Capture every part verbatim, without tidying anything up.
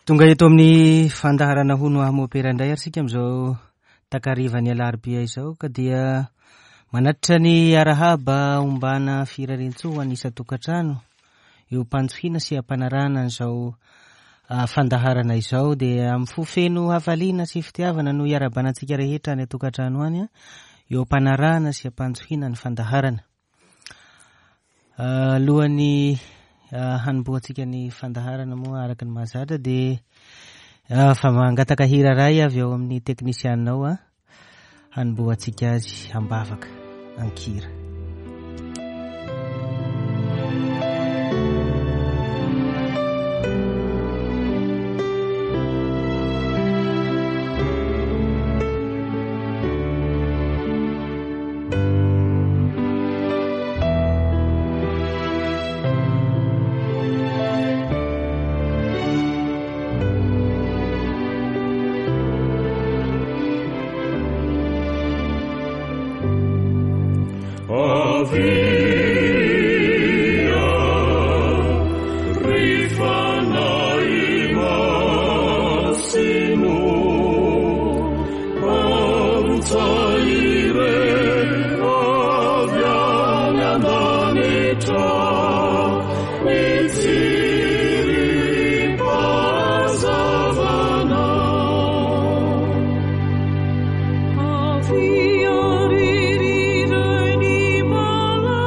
Tonga eto amin'ny fandaharana Hono Aho Mopera indray ary isika amin'izao takarivan'ny alarobia izao, ka dia manatitra ny arahaba ombana firariantsoa ho an'ny isan-tokantrano eo am-panjohiana sy am-panarahana an'izao fandaharana izao. Dia amin'ny fo feno hafaliana sy fitiavana no iarahabana antsika rehetra any an-tokantrano any eo am-panarahana sy am-panjohiana ny fandaharana. Alohan'ny hanombohantsika ny fandaharana moa araka ny mahazatra dia fa mangataka hira iray avy ao amin'ny teknisianina ao a hanombohantsika azy am-bavaka an-kira. Avia, ri, ri, ri, ni, ma, la.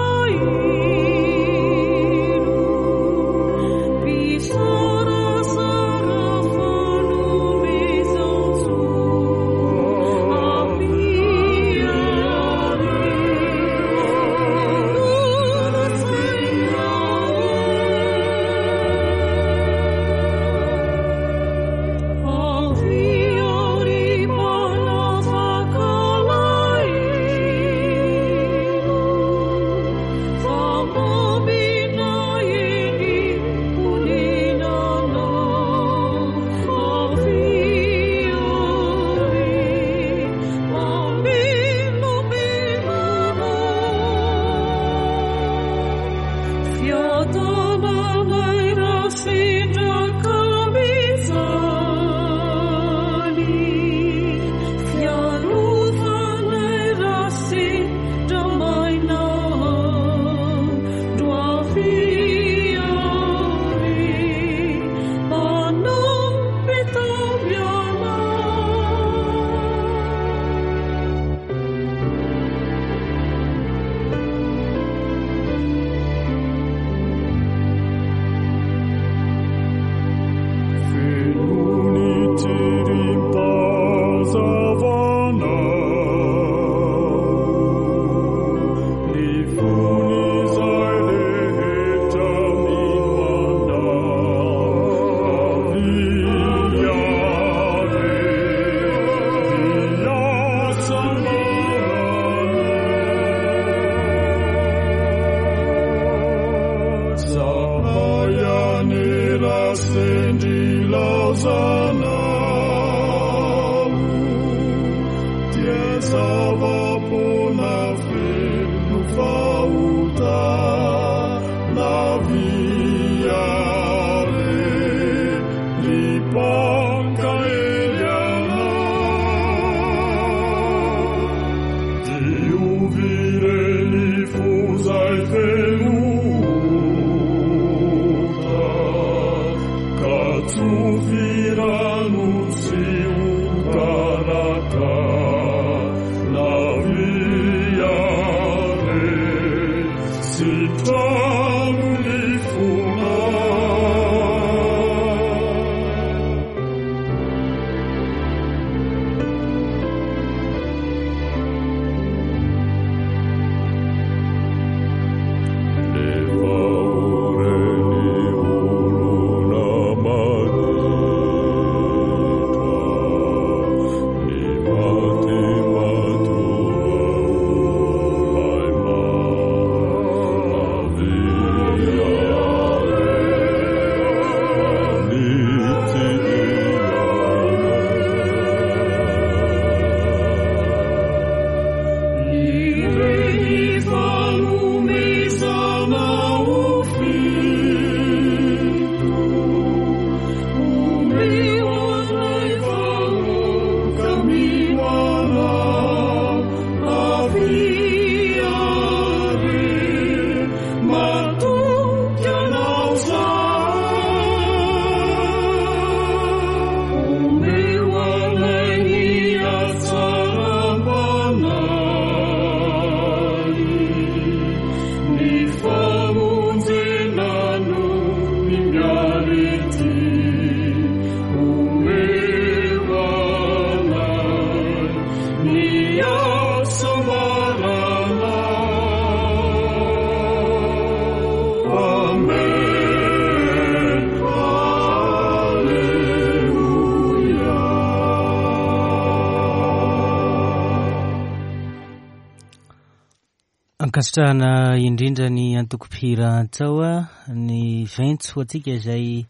Ankasitrahana indrindra ny antoko mpihira Antsaoa ny ventso ho antsika izay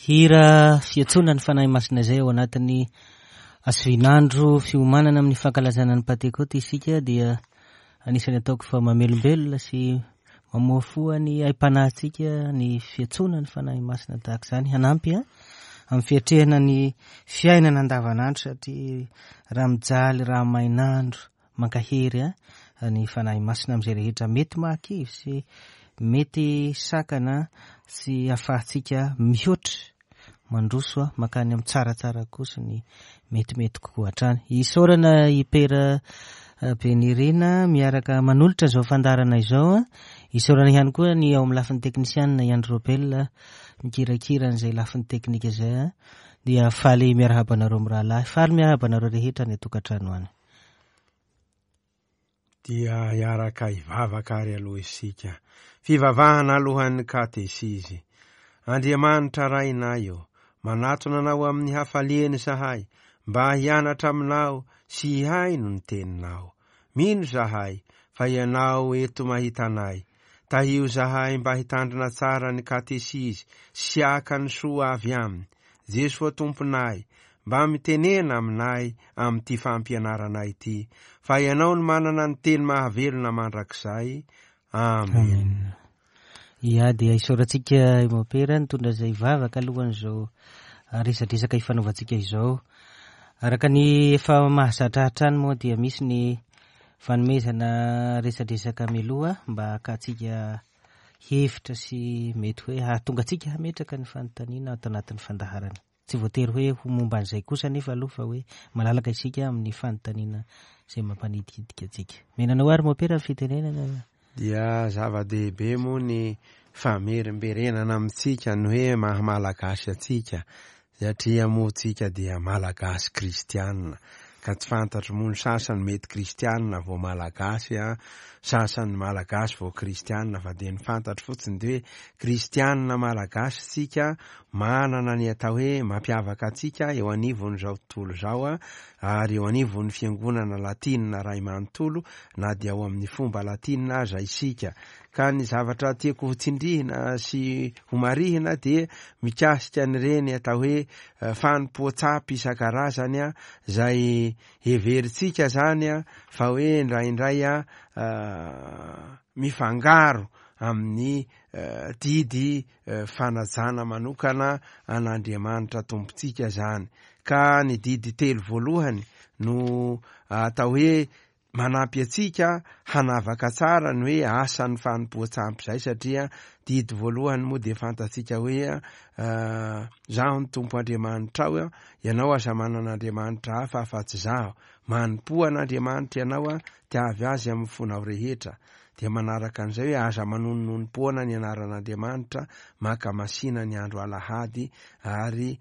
hira fiantsoana ny Fanahy Masina izay ao anatin'ny asivinandro fiomanana amin'ny fankalazana ny Pantekoty isika dia anisan'ny ataoko fa mamelombelona sy mamoafoa ny aim-panahintsika ny fiantsoana ny Fanahy Masina tahaka izany hanampy a amin'ny fiatrehana ny fiainana andavanandro satria raha mijaly raha mainandro mankahery a ny Fanahy Masina amin'izay rehetra mety mahakivy sy mety sakana sy ahafahantsika mihoatra mandroso a mankany amin'ny tsaratsara kosa ny metimety kokoa hatrany. Isaorana i Pera Benirina miaraka manolotra izao fandaharana izao a. Isaorana ihany koa ny ao amin'ny lafiny teknisianina i Andry Robel mikirakira an'izay lafiny teknika izay a. Dia faly miarahaba anareo mirahalahy, faly miarahaba anareo rehetra any an-tokantrano any. Dia hiaraka hivavaka ary aloha isika. Fivavahana alohan'ny katesizy. Andriamanitra Rainay ô, manatona anao amin'ny hafaliana izahay, mba hianatra aminao sy hihaino ny teninao. Mino izahay fa ianao eto mahita anay. Tahio izahay mba hitandrina tsara ny katesizy sy haka ny soa avy aminy. Jesoa Tomponay, mba mitenena aminay amin'ity fampianaranay ity, fa ianao no manana ny teny mahavelona mandrakizay. Amen. Ia, dia isaorantsika i Mopera nitondra izay vavaka alohan'izao resadresaka ifanaovantsika izao. Araka ny efa mahazatra hatrany moa dia misy ny fanomezana resadresaka mialoha mba hakantsika hevitra sy mety hoe hahatonga antsika hametraka ny fanontaniana ato anatin'ny fandaharana. Tsy voatery hoe ho momba an'izay kosa nefa aloha fa hoe malalaka isika amin'ny fanontaniana izay mampanidikidiky antsika. Menanao ary Mopera ny fitenenana. Dia zava-dehibe moa ny famerimberenana amintsika ny hoe maha malagasy antsika, satria moa tsika dia malagasy kristianina. Ka tsy fantatro moa ny sasany mety kristianina vao malagasy a, sasany malagasy vao kristianina, fa dia ny fantatro fotsiny dia hoe kristianina malagasy tsika, manana ny atao hoe mampiavaka antsika eo anivon'izao tontolo izao a, ary eo anivon'ny fiangonana latinina ray manontolo na dia ao amin'ny fomba latinina aza isika. Ka ny zavatra tiako ho tsindrihina sy ho marihina dia mikasika an'ireny atao hoe fanompoan-tsampy isan-karazany a, izay heverintsika zany a fa hoe indraindray a mifangaro amin'ny didy fanajana manokana an'Andriamanitra Tompontsika zany. Ka ny didy telo voalohany no atao hoe manampy antsika hanavaka tsara ny hoe asan'ny fanompoan-tsampy izay, satria didy voalohany moa dia fantatsika hoe zaho ny Tompo Andriamanitrao, ianao aza manana Andriamanitra hafa afa-tsy zaho. Manompoa an'Andriamanitra ianao, tiavy azy amin'ny fonao rehetra. Dia manaraka an'izay hoe aza manononompoana ny anaran'Andriamanitra, mankamasina ny andro alahady, ary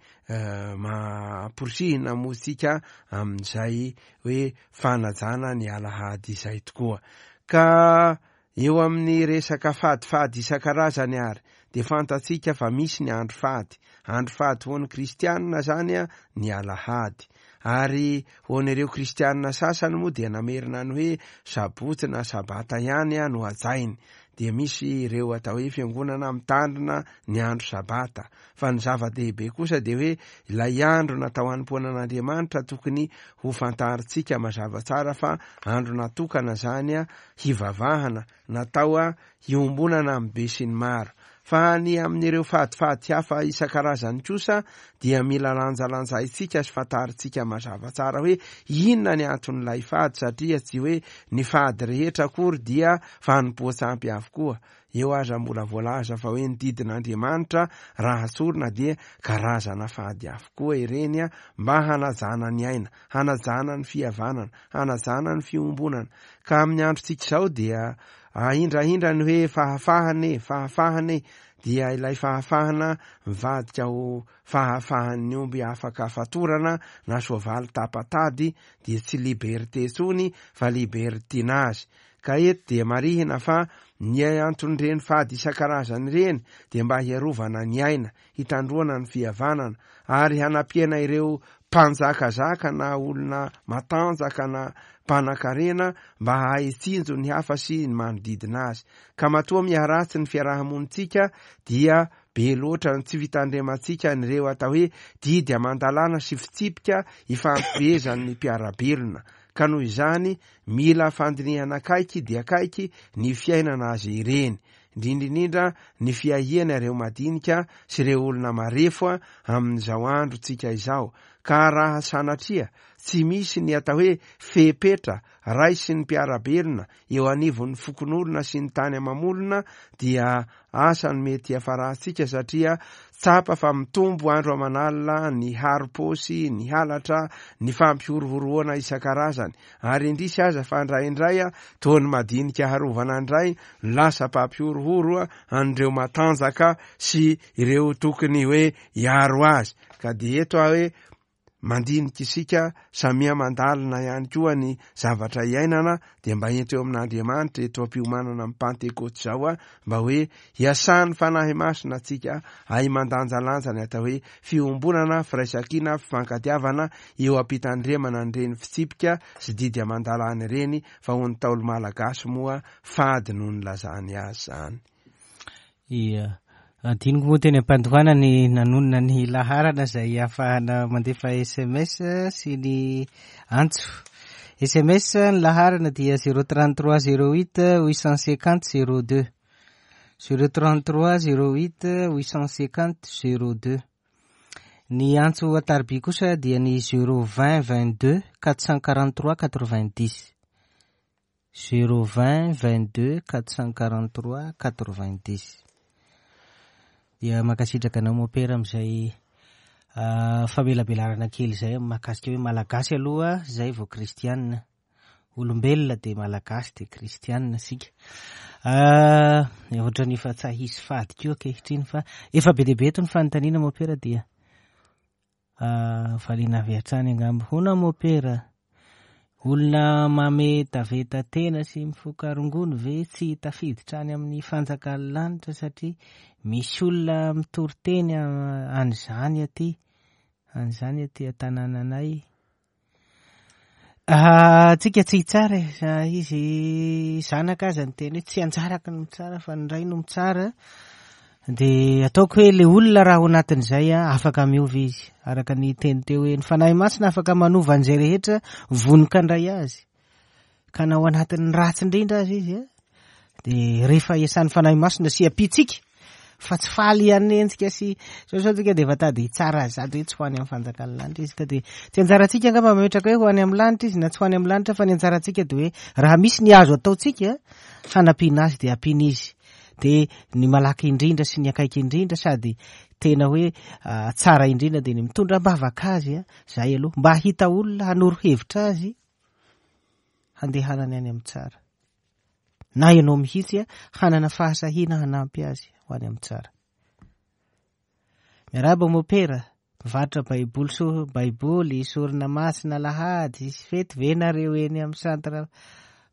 mamporisihina moa tsika amin'izay hoe fanajana ny alahady izay tokoa. Ka eo amin'ny resaka fadifady isan-karazany ary dia fantatsika fa misy ny andro fady. Andro fady ho an'ny kristianina zany a ny alahady. Ary ho an'ireo kristianina sasany moa dia namerina ny hoe sabotsy na sabata ihany a no hajainy. Dia misy ireo atao hoe fiangonana mitandrina ny andro sabata. Fa ny zava-dehibe kosa dia hoe ilay andro natao hanompoanan'Andriamanitra tokony ho fantarintsika mazava tsara fa andro natokana zany a hivavahana, natao a hiombonana amin'ny be sy ny maro. Fa ny amin'ireo fadifady hafa isan-karazany kosa dia mila lanjalanjaintsika sy fantarintsika mazava tsara hoe inona ny anton'ilay fady, satria tsy hoe ny fady rehetra akory dia fanompoan-tsampy avokoa. Eo aza mbola voalaza fa hoe ny didin'Andriamanitra raha tsorina dia karazana fady avokoa ireny a, mba hanajana ny aina, hanajana ny fihavanana, hanajana ny fiombonana. Ka amin'ny androntsika izao dia ahindrahindra ny hoe fahafahana e, fahafahana e, dia ilay fahafahana mivadika ho fahafahan'ny omby afaka fatorana na soavaly tapa-tady, dia tsy liberté intsony fa libertinage. Ka eto dia marihina fa ny anton'ireny fady isan-karazany ireny dia mba hiarovana ny aina, hitandroana ny fihavanana, ary hanampiana ireo mpanjakazaka na olona matanjaka na mpanan-karena mba hahay hitsinjo ny hafa sy ny manodidina azy. Ka matoa miharatsy ny fiarahamonintsika dia be loatra ny tsy fitandremantsika an'ireo atao hoe didy aman-dalàna sy fitsipika ifampifehezan'ny mpiara-belona. Ka noho izany mila fandinihana akaiky dia akaiky ny fiainana azy ireny, indrindra indrindra ny fiahiana ireo madinika sy ireo olona marefo amin'izao androntsika izao. Ka raha sanatria tsy misy ny atao hoe fepetra raisin'ny mpiara-belona eo anivon'ny fokonolona sy ny tany amamolona dia asa ny mety hiafarantsika, satria tsapa fa mitombo andro aman'alina ny harom-paosy, ny halatra, ny fampihorohoroana isan-karazany, ary indrisy aza fa indraindray toa ny madinika harovana indray lasa mpampihorohoro an'ireo matanjaka sy ireo tokony hoe hiaro azy. Ka dia eto aho hoe mandinika isika samia mandalina ihany koa ny zavatra iainana, dia mba ento eo amin'Andriamanitra eto am-piomanana amin'ny Pantekôty izao a, mba hoe hiasan'ny Fanahy Masina antsika ahy mandanjalanja ny atao hoe fiombonana, firaisankina, fifankatiavana eo am-pitandremana an'ireny fitsipika sy didy aman-dalàna ireny, fa ho ny Ntaolo malagasy moa fady no nilazany azy izany. Ia. Adinoko moa teny am-pandohana ny nanonona ny laharana izay ahafahana mandefa S M S sy ny antso. S M S ny laharana dia zéro trente-trois zéro huit huit cent cinquante zéro deux. zéro trente-trois zéro huit huit cent cinquante zéro deux. Ny antso an-tariby kosa dia ny zéro vingt vingt-deux quatre cent quarante-trois quatre-vingt-dix. zéro vingt vingt-deux quatre cent quarante-trois quatre-vingt-dix. Dia mankasitraka anao mopera amin'izay famelabelarana kely izay mahakasika hoe malagasy aloha izay vao kristianina. Olombelona dia malagasy dia kristianina isika. Ohatran'ny efa tsy hisy fady koa ankehitriny fa efa be dia be eto ny fanontaniana mopera dia valiana avy hatrany angamba. Hoana mopera, olona mametaveta tena sy mifoka rongony ve tsy tafiditra any amin'ny fanjakan'ny lanitra satria misy olona mitory teny an'izany aty, an'izany aty an-tanànanay. Tsika tsy hitsara e, izy zanaka aza ny teny hoe tsy anjarako ny mitsara fa ny ray no mitsara. Dia ataoko hoe le olona raha ao anatin'izay afaka miova izy, araka ny teny teo hoe ny Fanahy Masina afaka manova an'izay rehetra vonoka handray azy. Ka na ao anatin'ny ratsy indrindra azy izy, dia rehefa iasan'ny Fanahy Masina sy ampitsika fa tsy faly hanenjika sy sao sao tsika dia efa tady hitsara azy sady hoe tsy ho any amin'ny fanjakan'ny lanitra izy. Ka dia tsy anjarantsika angamba mametraka hoe ho any amin'ny lanitra izy na tsy ho any amin'ny lanitra, fa ny anjarantsika dia hoe raha misy ny azo ataontsika hanampiana azy dia ampiana izy. Dia ny malaky indrindra sy ny akaiky indrindra sady tena hoe tsara indrindra dia ny mitondra am-bavaka azy, zay aloha mba hahita olona hanoro hevitra azy handehanany any amin'ny tsara, na ianao mihitsy hanana fahasahiana hanampy azy ho any amin'ny tsara. Miarahaba mopera, mivarotra baiboly so baiboly sorona masina alahady sy fety ve nareo eny amin'ny centre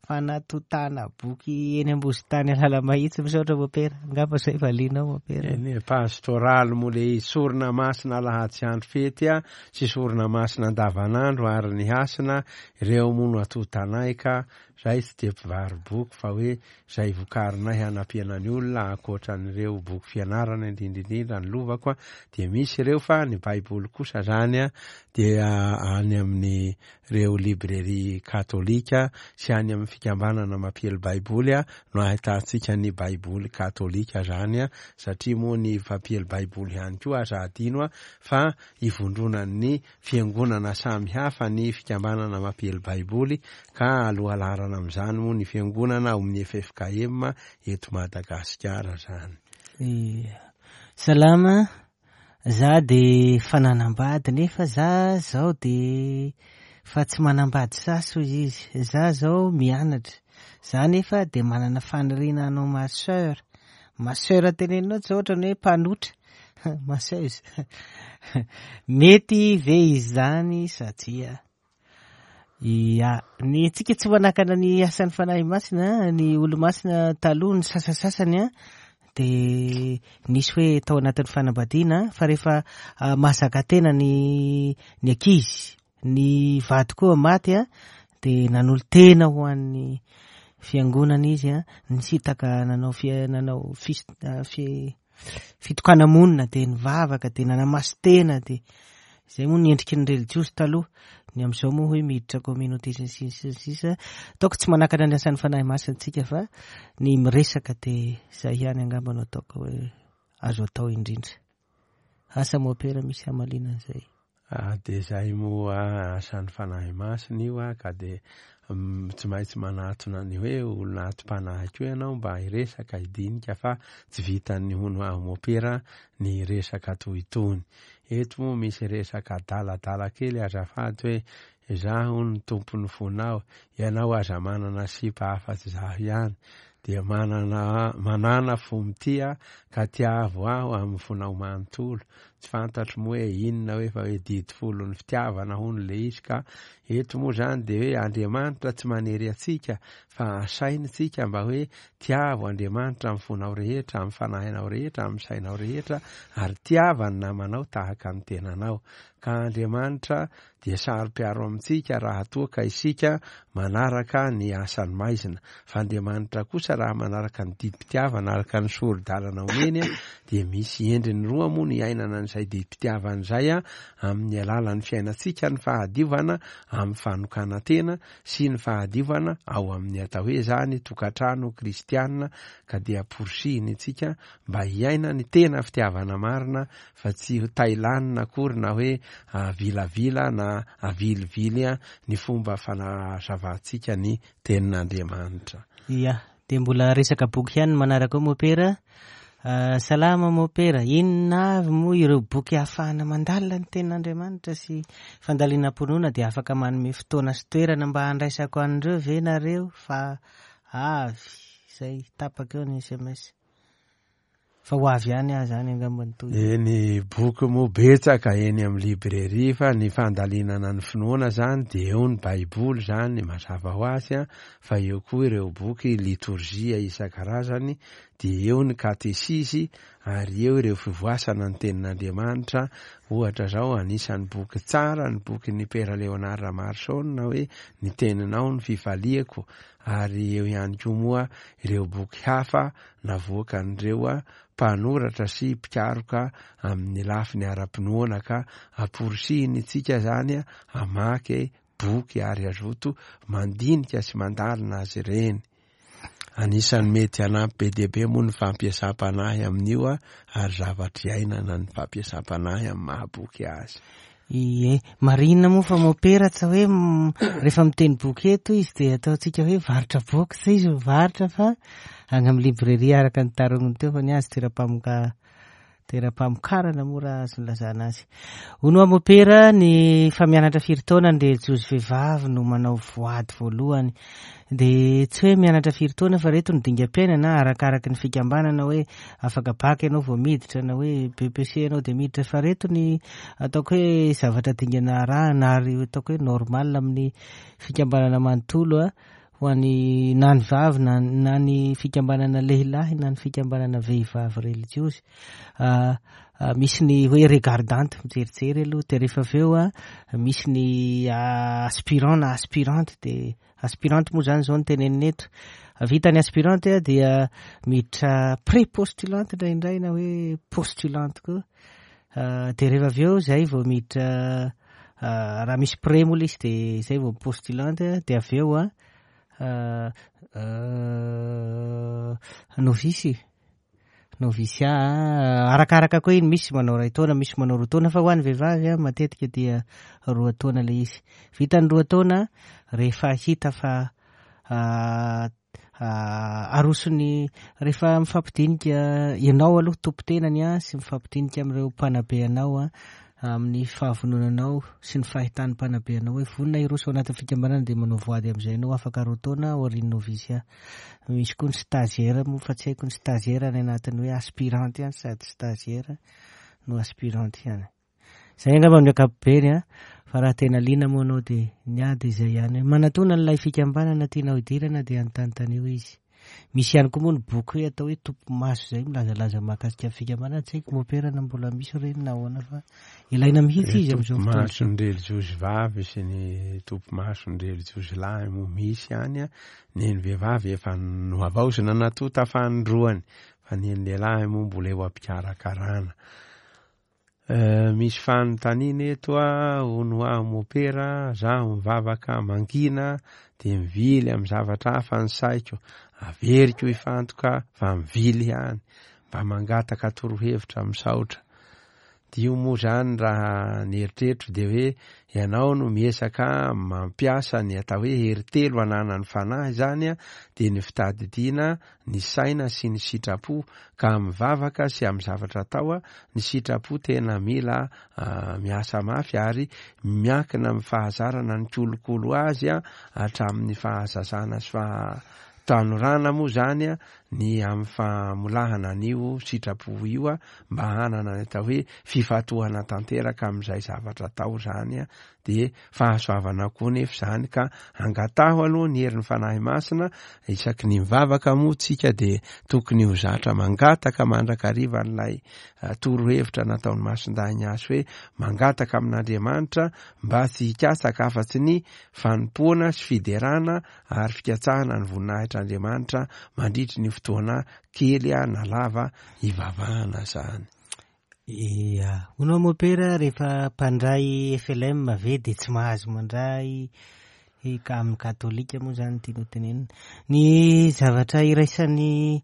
fanatotana boky eny Ambositany Analamahitsy? Misaotra mopera, angamba zay valianao mopera. Eny pastoraly moa le sorona masina alahady sy andro fety a, sy sorona masina andavanandro ary ny hasina ireo moa no atotanay, ka zay tsy dia mpivaro boky fa hoe zay vokarinay hanampiana ny olona ankoatran'ireo boky fianarana indrindra indrindra ny lovako a, dia misy ireo, fa ny baiboly kosa zany a dia any amin'ny reo librairie katolika sy any amin'ny fikambanana mampiely baiboly a no ahitantsika ny baiboly katolika zany a, satria moa ny mpampiely baiboly ihany koa aza adino a fa ivondronan'ny fiangonana samy hafa ny fikambanana mampiely baiboly, ka alohalarana amin'izany moa ny fiangonana ao amin'ny F F K M eto Madagasikara zany. Salama, za de fa nanambady nefa za zao de fa tsy manambady sasy hoy izy. Za zao mianatra, za nefa de manana faniriana hanao masseur. Masseur teneninao tsy ohatra ny hoe mpanotra, masseuse. Mety ve izany satria ia, ny tsika tsy manakana ny asan'ny Fanahy Masina, ny olo-masina taloha ny sasasasany a De nisy hoe tao anatin'ny fanambadiana, fa rehefa mahazaka tena ny ny ankizy, ny vady koa maty a, de nanolo-tena ho an'ny fiangonana izy a, nisitaka nanao fi- nanao fis- fi- fitokana-monina, de nivavaka, de nanamasy-tena, de zay moa ny endriky ny religiosy taloha. Ny am'izao moa hoe miditra communauté sy ny sisa sy ny sisa. Ataoko tsy manakana ny asan'ny Fanahy Masina tsika, fa ny miresaka de zay ihany angamba no ataoko hoe azo atao indrindra. Asa mopera misy hamalina an'izay? Ah, de zay moa asan'ny Fanahy Masina io a, ka de tsy maintsy manatona ny hoe olona atom-panahy koa ianao mba hiresaka, hidinika, fa tsy vitan'ny hono aho mopera ny resaka toy itony. Eto moa misy resaka adaladala kely azafady, hoe izaho ny tompon'ny fonao, ianao aza manana sipa afa-tsy zaho ihany, dia manana manana fo mitia ka tiavo aho amin'ny fonao manontolo. Tsy fantatro moa hoe inona hoe, fa hoe didy folo ny fitiavana hono le izy. Ka eto moa zany de hoe Andriamanitra tsy manery atsika, fa asainy tsika mba hoe tiavo Andriamanitra amin'ny fonao rehetra, amin'ny fanahinao rehetra, amin'ny sainao rehetra, ary tiava ny namanao tahaka ny tenanao. Ka Andriamanitra dia saro-piaro amintsika raha toa ka isika manaraka ny asan'ny maizina, fa Andriamanitra kosa raha manaraka ny didim-pitiavana araka ny sori-dalana omeny, dia misy endriny roa moa ny iainana an'izay didim-pitiavana izay a: amin'ny alalan'ny fiainantsika ny fahadiovana amin'ny fanokanan-tena sy ny fahadiovana ao amin'ny atao hoe zany tokantrano kristianina. Ka dia porisihiny tsika mba hiaina ny tena fitiavana marina, fa tsy ho tailanina akory na hoe vilavila na avilivily a ny fomba fanazavantsika ny tenin'Andriamanitra. Ia, de mbola resaka boky ihany manaraka ao mopera. Salama mopera, inona avy moa ireo boky ahafahana mandalina ny tenin'Andriamanitra sy fandalinam-pinoana? De afaka manome fotoana sy toerana mba handraisako an'ireo ve nareo? Fa avy zay tapaka eo ny S M S, fa ho avy ihany aho zany angamba ny toy. Eny, boky moa betsaka eny amin'ny librairie, fa ny fandalinana ny finoana zany de eo ny Baiboly zany mazava ho azy a, fa eo koa ireo boky litorjia isan-karazany, de eo ny katesizy, ary eo ireo fivoasana ny tenin'Andriamanitra. Ohatra zao, anisan'ny boky tsara ny boky ny Père Léonard Ramarson hoe Ny Teninao ny Fifaliako, ary eo ihany koa moa ireo boky hafa navoakan'ireo a mpanoratra sy mpikaroka amin'ny lafiny ara-pinoana. Ka amporisihiny tsika zany a amaky boky ary azoto mandinika sy mandalina azy ireny. Anisan'ny mety hanampy be dehibe moa ny fampiasam-panahy amin'io a, ary zavatra iainana ny fampiasam-panahy amin'ny mahaboky azy. Ie, marina moa fa mopera tsy hoe rehefa miteny boky eto izy de ataontsika hoe varotra boky, tsy izy mivarotra fa any amin'ny librairie araka ny tarognony teo, fa ny azy toeram-pamoka toeram-pamokarana moa raha azo nilazana azy. Ono a mopera, ny fa mianatra firy taona ny relijiozy vehivavy no manao voady voalohany? De tsy hoe mianatra firy taona, fa reto ny dingam-piainana arakaraky ny fikambanana, hoe afaka bac ianao vao miditra na hoe B E P C ianao de miditra, fa reto ny ataoko hoe zavatra dingana arahana ary ataoko hoe normal amin'ny fikambanana manontolo a, ho an'ny na ny vavy na na ny fikambanana lehilahy na ny fikambanana vehivavy relijiozy. Misy ny hoe regardante, mijerijery aloha, de rehefa avy eo a misy ny aspirant na aspirante. De aspirante moa zany zao no tenenina eto. Vita ny aspirante a, dia miditra pré-postulante indraindray na hoe postulante koa, de rehefa avy eo zay vao miditra, raha misy pré moa le izy, de zay vao postulante, de avy eo a novice, noviciat. Arakaraka koa iny, misy manao ray taona, misy manao roa taona, fa ho an'ny vehivavy a matetika dia roa taona le izy. Vita ny roa taona, rehefa hita fa arosony, rehefa mifampidinika ianao aloha tompo-tenany a sy mifampidinika amin'ireo mpanabe anao a amin'ny fahavononanao sy ny fahitan'ny mpanabe anao hoe vonona hiroso ao anatin'ny fikambanana, de manao voady amin'izay anao afaka roa taona aorian'ny noviciat. Misy koa ny stagiaire moa, fa tsy haiko ny stagiaire any anatin'ny hoe aspirante ihany, sady stagiaire no aspirante ihany. Zay angamba amin'ny ankapobeny a, fa raha tena liana moa anao de ny ady izay ihany hoe manatona n'ilay fikambanana tianao hidirana, de anontanontanio izy. Misy ihany koa moa ny boky hoe atao hoe Tompo-maso izay milazalaza mahakasika ny fikambanana. Tsy haiko mopera na mbola misy ireny na ahoana fa ilaina mihitsy izy amin'izao fotoana. Tompo-mason'ny relijiozy vavy sy ny tompo-mason'ny relijiozy lahy moa misy ihany. Ny ny vehivavy efa nohavaozina natota fanindroany, fa ny ny lehilahy moa mbola eo am-pikarakarana. Misy fanontaniana eto a, hono aho mopera, zaho mivavaka mangina de mivily amin'ny zavatra hafa ny saiko, averiko hifantoka fa mivily ihany, mba mangataka torohevitra misaotra. Dio moa zany raha ny eritreritro de hoe ianao no miezaka mampiasa ny atao hoe hery telo ananan'ny fanahy zany a, de ny fitadidiana, ny saina sy ny sitrapo, ka mivavaka sy amin'ny zavatra atao a, ny sitrapo tena mila miasa mafy ary miankina amin'ny fahazarana ny kolokolo azy a, hatramin'ny fahazazana sy fahatanorana moa zany a, ny amin'ny famolahana an'io sitrapo io a, mba hanana ny atao hoe fifantohana tanteraka amin'izay zavatra atao zany a, de fahasoavana koa nefa zany ka angataho aloha ny herin'ny fanahy masina. Isaky ny mivavaka moa tsika de tokony ho zatra mangataka mandrakariva an'ilay torohevitra nataon'ny Masindahy Ignace hoe mangataka amin'Andriamanitra mba tsy hikatsaka afa-tsy ny fanompoana sy fiderana ary fikatsahana ny voninahitr'Andriamanitra mandritry ny fotoana kely na lava ivavahana zany. Ia, hono mopera rehefa mpandray F L M ve de tsy mahazo mandray ka amin'ny katolika moa zany tianao tenenina. Ny zavatra iraisan'ny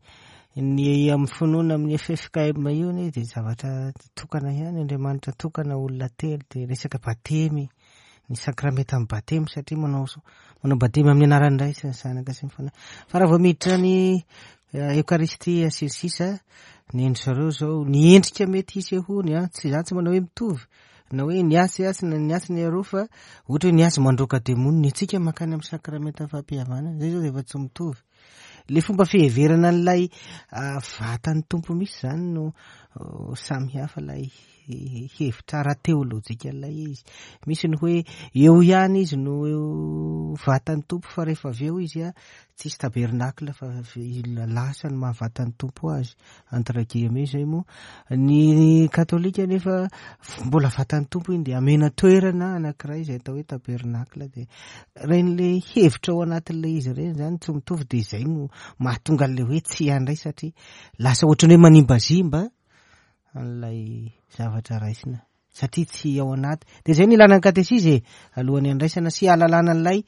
ny amin'ny finoana amin'ny F F K M io anie de zavatra tokana ihany, Andriamanitra tokana, olona telo, de resaka batemy, ny sakramenta amin'ny batemy satria manao manao batemy amin'ny anaran'ny Ray sy ny Zanaka sy ny Fanahy. Fa raha vao miditra ny Eokaristia sy ny sisa, ny endry zareo zao, ny endrika mety hisehoany a, tsy za tsy manao hoe mitovy na hoe ny asy asy na ny asy ny aroa, fa ohatra hoe ny asy mandroaka demony, ny antsika mankany amin'ny sakramenta fampihavanana, zay zao de efa tsy mitovy. Le fomba fiheverana an'ilay vatan'ny Tompo misy zany no samy hafa ilay hevitra ara-teolojika ilay izy. Misy ny hoe eo ihany izy no vatan'ny Tompo, fa rehefa avy eo izy a tsisy tabernakla fa lasa ny mahavatan'ny Tompo azy, entre guillemets zay moa. Ny katolika nefa mbola vatan'ny Tompo iny de amena toerana anankiray izay atao hoe tabernakla, de reny le hevitra ao anatin'ilay izy ireny zany tsy mitovy, de izay no mahatonga an'ilay hoe tsy handray satria lasa ohatran'ny hoe manimbazimba an'ilay zavatra raisina satria tsy ao anaty. De zay ny ilana ny katesizy e, alohan'ny andraisana sy ahalalana an'ilay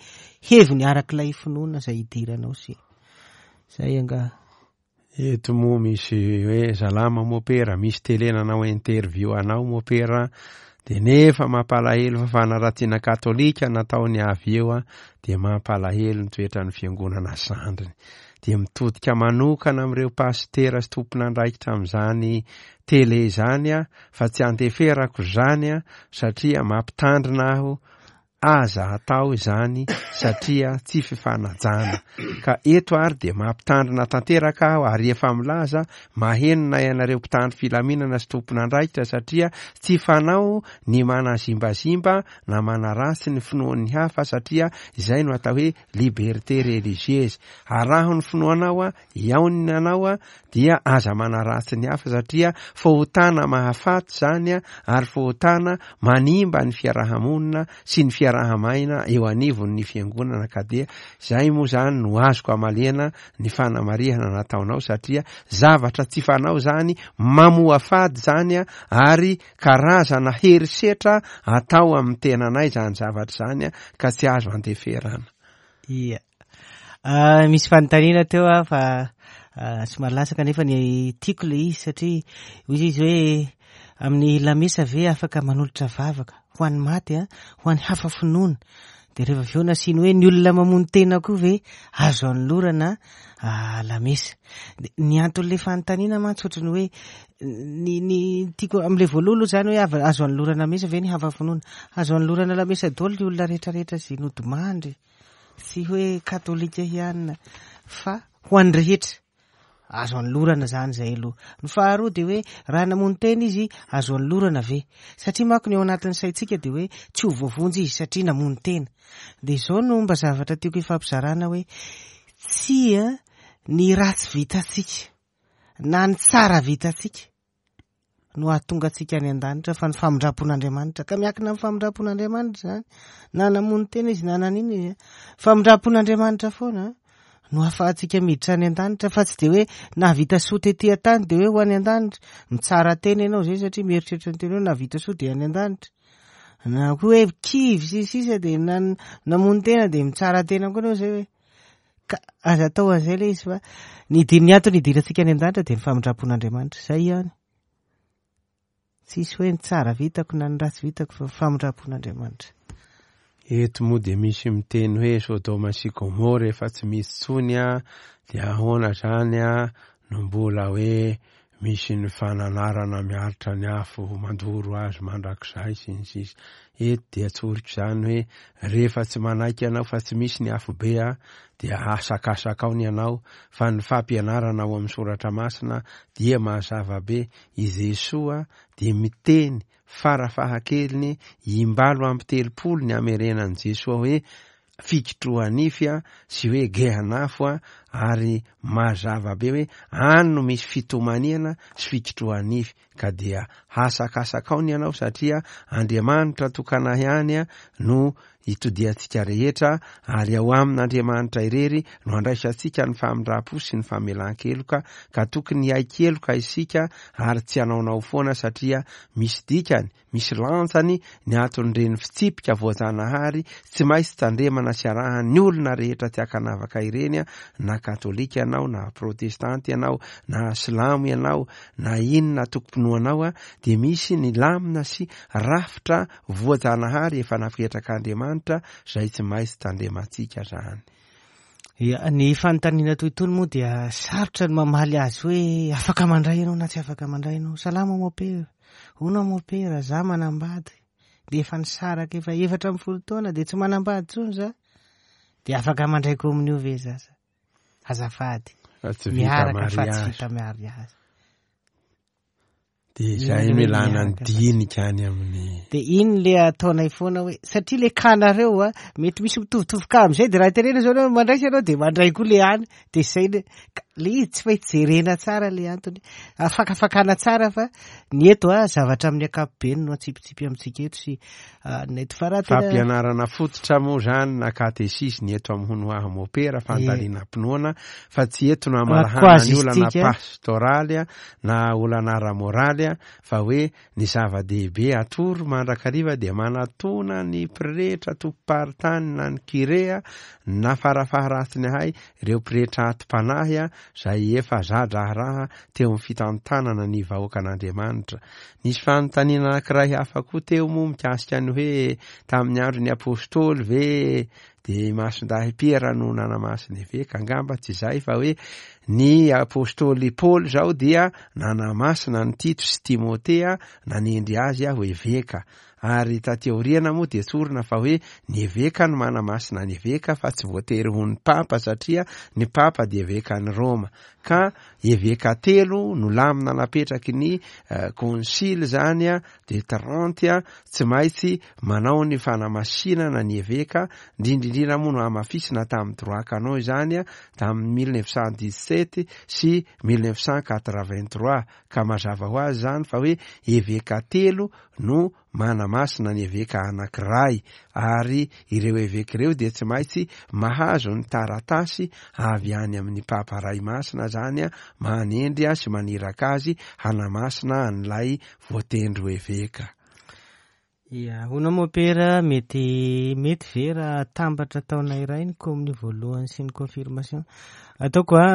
heviny arak'ilay finoana izay idiranao sy zay angaha. Eto moa misy hoe salama mopera, misy tele nanao interview anao mopera, de nefa mampalahelo fa fanaratsiana katolika nataony avy eo a, de mampalahelo ny toetran'ny fiangonana sandriny. De mitodika manokana amin'ireo pastera sy tompon'andraikitra amin'izany tele izany a, fa tsy andeferako izany a, satria mampitandrina aho, aza atao izany satria tsy fifanajana. Ka eto ary de mampitandrina tanteraka aho, ary efa milaza maheno na ianareo mpitandro filaminana sy tompon'andraikitra, satria tsy fanao ny manazimbazimba na manaratsy ny finoan'ny hafa, satria izay no atao hoe liberté religieuse. Araho ny finoanao a, iaonina anao a, dia aza manaratsy ny hafa, satria fahotana mahafaty zany a, ary fahotana manimba ny fiarahamonina sy ny fiarahamaina eo anivon'ny fiangonana. Ka dia zay moa zany no azoko amalena ny fanamarihana nataonao, satria zavatra tsy fanao zany, mamoafady zany a, ary karazana herisetra atao amin'ny tenanay zany zavatra zany a, ka tsy azo andeferana. Ia. Ah, misy fanontaniana teo a, fa somary latsaka nefa ny tiako le izy, satria hoy izy hoe amin'ny lamesa ve afaka manolotra vavaka ho an'ny maty a, ho an'ny hafa finoana, de rehefa avy eo nasiany hoe ny olona mamono tena koa ve azo anolorana lamesa. Ny anton'ilay fanontaniana mantsy ohatran'ny hoe ny, ny tiako amin'ilay voalohany aloha zany hoe ava-, azo anolorana lamesa ve ny hafa finoana, azo anolorana lamesa daholo ny olona rehetrarehetra izay nodimandry, tsy hoe katolika ihany fa ho an'ny rehetra azo anolorana zany zay aloha. Ny faharoa de hoe raha namono tena izy azo anolorana ve, satria manko ny ao anatin'ny saintsika de hoe tsy ho voavonjy izy satria namono tena. De izao no mba zavatra tiako hifampizarana hoe tsia, ny ratsy vitantsika na ny tsara vitantsika no hahatonga antsika any an-danitra, fa ny famindram-pon'Andriamanitra, ka miankina amin'ny famindram-pon'Andriamanitra zany, na namono tena izy na nanino izy, famindram-pon'Andriamanitra foana no ahafahantsika miditra any an-danitra, fa tsy de hoe nahavita soa tety an-tany de hoe ho any an-danitra. Mitsara tena ianao zay satria mieritreritra ny tena hoe nahavita soa de any an-danitra, na koa hoe kivy sy sisa de na- namono tena de mitsara tena koa anao zay hoe ka aza atao an'izay le izy, fa ny ny antony hidirantsika any an-danitra de ny famindram-pon'Andriamanitra zay ihany. Tsisy hoe ny tsara vitako na ny ratsy vitako, fa famindram-pon'Andriamanitra. Eto moa de misy miteny hoe Sodoma sy Gomora efa tsy misy tsony a, de ahoana zany a no mbola hoe misy ny fananarana miaritra ny afo mandoro azy mandrakizay sy ny sisa. Eto dia tsoriko zany hoe rehefa tsy manaiky ianao fa tsy misy ny afo be a, dia asakasakao ny anao, fa ny fampianarana ao amin'ny soratra masina dia mazava be. I Jesoa dia miteny farafahakeliny imbalo amby telopolo ny amerenan'i Jesoa hoe fikitroha-nify a sy hoe gehanafo a, ary mazava be hoe any no misy fitomaniana sy fikitroha-nify, ka dia hasakasakao ny anao satria Andriamanitra tokana ihany a no itodiantsika rehetra, ary ao amin'Andriamanitra irery no andraisantsika ny famindram-po sy ny famelan-keloka, ka tokony hiaiky-keloka isika ary tsy hanaonao foana satria misy dikany, misy lanjany ny anton'ireny fitsipika voajanahary tsy maintsy tandremana sy arahan'ny olona rehetra tsy ankanavaka ireny a, na katolika ianao, na protestanty ianao, na silamo ianao, na inona tokom-pinoanao a, dia misy ny lamina sy rafitra voajanahary efa napetraka Andriamanitra zay tsy maintsy tandremantsika zany. Ia, ny fanontaniana toy itony moa dia sarotra ny mamaly azy hoe afaka mandray ianao na tsy afaka mandray ianao. Salama mopera, hono mopera, za manambady de efa nisaraka efa efatra amby folo taona de tsy manambady intsony za, de afaka mandray komonio ve za? Azafady, Fa tsy vita miaraka fa tsy mariazy. vita mariazy. De zay Iny hoe milana ny miaraka fa tsy dinika any amin'ny de iny le ataonay foana hoe satria le kanareo a mety misy mitovitovy ka amizay, de raha tenena zao anao mandraisy ianao de mandray koa le any, de zay le ka le izy tsy maintsy jerena tsara le antony, afakafakana tsara, fa ny eto a zavatra amin'ny ankapobeny no atsipitsipy amintsika eto sy ny eto, fa raha tena fampianarana fototra moa zany na katesisy ny eto amin'ny hono aho mopera, fandalinam-pinoana, fa tsy eto no amarahana ny olana Casuistique. pastoraly a na olana ara-moraly a, fa hoe ny zava-dehibe atoro mandrakariva dia manatona ny pretra tompom-paritany na ny kirea na farafaharatsiny ahay ireo pretra atim-panahy a zay efa za-draharaha teo amin'ny fitantanana ny vahoakan'Andriamanitra. Nisy fanontaniana anankiray hafa koa teo moa mikasika ny hoe tamin'ny andro ny apôstôly ve de Masindahy Piera no nanamasina eveka? Angamba tsy zay, fa hoe ny apôstôly Paoly zao dia nanamasina ny Tito sy Timotea, nanendry azy aho eveka, ary taty aoriana moa de tsorina fa hoe ny eveka no manamasina ny eveka, fa tsy voatery ho ny papa, satria ny papa de eveka ny Roma, ka eveka telo no lamina napetraky ny konsily zany a de Trente a, tsy maintsy manao ny fanamasinana ny eveka, indrindrindrindra moa no hamafisina tamin'ny droit canon izany a tamin'ny mille neuf cent dix-sept sy mille neuf cent quatre-vingt-trois, ka mazava ho azy zany fa hoe eveka telo no manamasina ny eveka anankiray, ary ireo eveka ireo de tsy maintsy mahazo ny taratasy avy any amin'ny papa ray masina zany a manendry a sy maniraka azy hanamasina an'ilay voatendro eveka. Ia, hono mopera, mety mety ve raha tambatra taona iray ny komonio voalohany sy ny confirmation? Ataoko a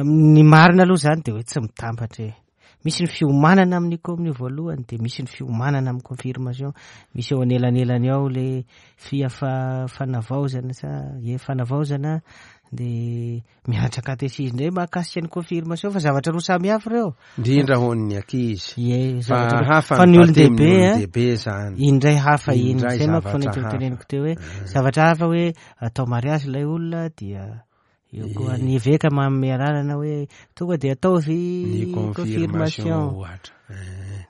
ny marina aloha zany de hoe tsy mitambatra e. Misy ny fiomanana amin'ny komonio voalohany, de misy ny fiomanana amin'ny confirmation, misy eo anelanelany ao le fiafa fanavaozana sa e fanavaozana, de mianatra katesizy indray mahakasika ny confirmation, fa zavatra roa samy hafa ireo. Indrindra ho an'ny ankizy. Ie, fa zavatra roa. Hafa Fa ny olon-dehibe batemy a, olon-dehibe zany. Indray hafa iny. Indray Zay manko zavatra fa hafa. teneniko teo hoe zavatra hafa hoe atao mariazy ilay olona, dia eo koa ny eveka manome alalana hoe tonga de ataovy ny confirmation confirmation. Ohatra.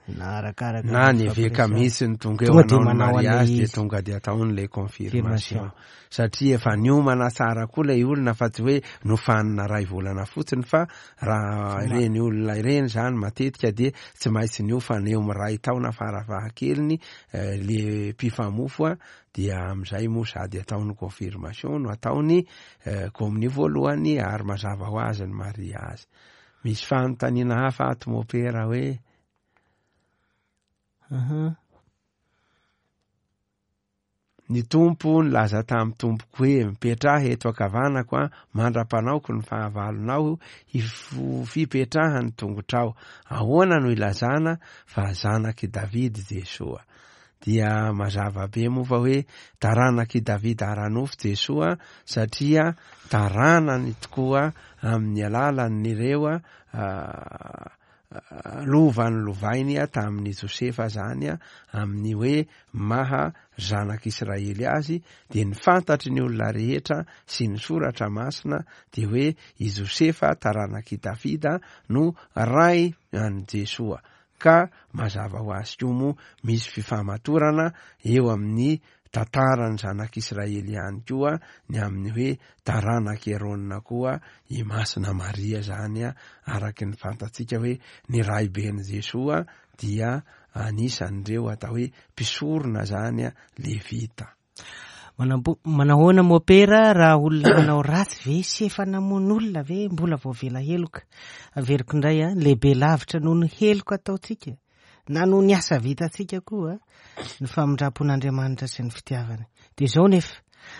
Na arakaraka na ny eveka mihitsy ny tonga eo Tonga de hanao ny manao an'ilay mariazy de izy. tonga de ataony le confirmation Confirmation. Satria efa niomana tsara koa lay olona fa tsy hoe nofanina ray volana fotsiny, fa raha ireny olona ireny zany matetika de tsy maintsy niofana eo miray taona farafahakeliny eh, le mpifamofo a, dia am'izay moa sady ataony confirmation no ataony eh, communion voalohany ary mazava ho azy ny mariazy. Misy fanontaniana hafa ato mopera hoe Aha. Ny Tompo nilaza tamin'ny Tompoko hoe mipetraha eto ankavanako a mandra-panaoko ny fahavalonao hifo- fipetrahan'ny tongotrao. Ahoana no ilazana fa zanak'i Davidy Jesoa? Dia mazava be moa fa hoe taranak'i Davida ara-nofo Jesoa, satria taranany tokoa amin'ny alalan'ireo a, lovany lovainy a tamin'ny Josefa zany a, amin'ny hoe maha zanak'Israely azy, de ny fantatry ny olona rehetra sy ny soratra masina de hoe i Josefa taranak'i Davida no ray an'i Jesoa. Ka mazava ho azy koa moa misy fifamatorana eo amin'ny tantaran'ny zanak'Israely ihany koa ny amin'ny hoe taranak'i Arona koa i Masina Maria zany a, araky ny fantatsika hoe ny raiben'i Jesoa dia anisan'ireo atao hoe mpisorona zany a, levita. Manambo-, manahoana mopera, raha olona manao ratsy ve sy efa namono olona ve mbola voavela heloka? Averiko indray a, lehibe lavitra noho ny heloka ataontsika na noho ny asa vitantsika koa ny famindram-pon'Andriamanitra sy ny fitiavany. De zao nefa,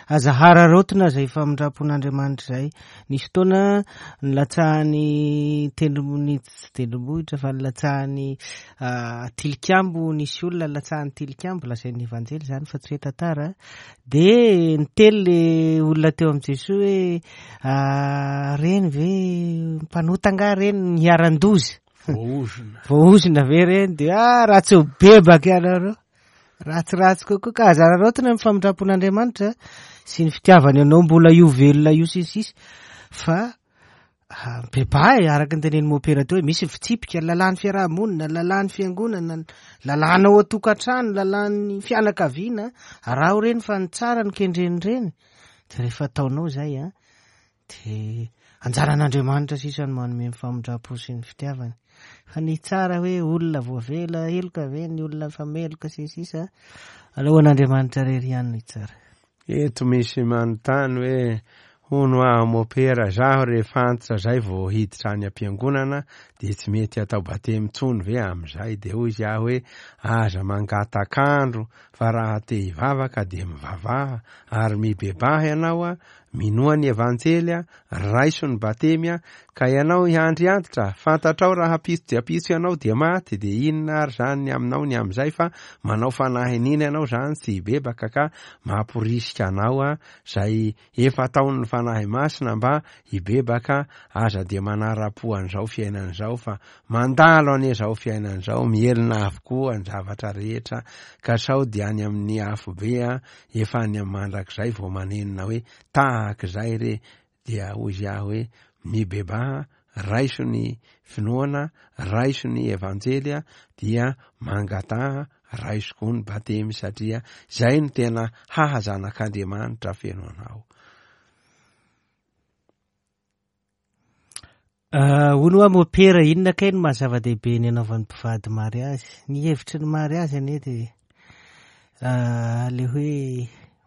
aza hararaotina zay famindram-pon'Andriamanitra zay. Nisy fotoana nilatsahany tendrombohitra, tsy tendrombohitra fa nilatsahany, ah, tilikambo, nisy olona nilatsahany tilikambo, lazain'ny Evanjely zany fa tsy hoe tantara. De niteny le olona teo amin'i Jesoa hoe, ah, reny ve mpanota angaha reny niharan-doza? Voaozona. Voaozona ve reny? De, ah, raha tsy ho bebaka ianareo, ratsiratsy kokoa. Ka aza araraotina ny famindram-pon'Andriamanitra sy ny fitiavany anao mbola io velona io sy ny sisa, fa, ah, mibebaha e, araka ny tenenin'ny mopera teo hoe misy ny fitsipika, ny lalàn'ny fiarahamonina, ny lalàn'ny fiangonana, ny lalàna ao an-tokantrano, ny lalàn'ny fianakaviana. Araho reny fa ny tsara no kendreny reny. De rehefa ataonao zay a, de anjaran'Andriamanitra sisa no manome ny famindram-po sy ny fitiavany. Fa ny tsara hoe olona voavela heloka ve, ny olona fameloka sy ny sisa, alohan'Andriamanitra rery ihany no hitsara. Eto misy manontany hoe hono aho mopera, zaho rehefa antitra zay vao hiditra any am-piangonana de tsy mety atao batemy intsony ve am'izay? De hoy izy aho hoe aza mangatak'andro fa raha te hivavaka de mivavaha ary mibebaha ianao a, minoa ny Evanjely a, raiso ny batemy a, ka ianao hiandry antitra, fantatrao raha ampitso de ampitso ianao de maty, de inona ary zany ny aminao ny am'izay fa manao fanahinina ianao zany tsy hibebaka, ka mamporisika anao a zay efa ataon'ny Fanahy Masina mba hibebaka. Aza de manara-po an'izao fiainan'izao fa mandalo anie zao fiainan'izao, mihelina avokoa ny zavatra rehetra, ka sao de any amin'ny afobe a, efa any amin'ny mandrakizay vao manenina hoe tahak'izay re. Dia hoy izy aho hoe mibebaha, raiso ny finoana, raiso ny Evanjely a, dia mangataha, raiso koa ny batemy, satria zay no tena haha zanak'Andriamanitra feno anao. Ah, hono hoa mopera, inona kay no maha zava-dehibe ny anaovan'ny mpivady mariazy? Ny hevitry ny mariazy anie de, ah, le hoe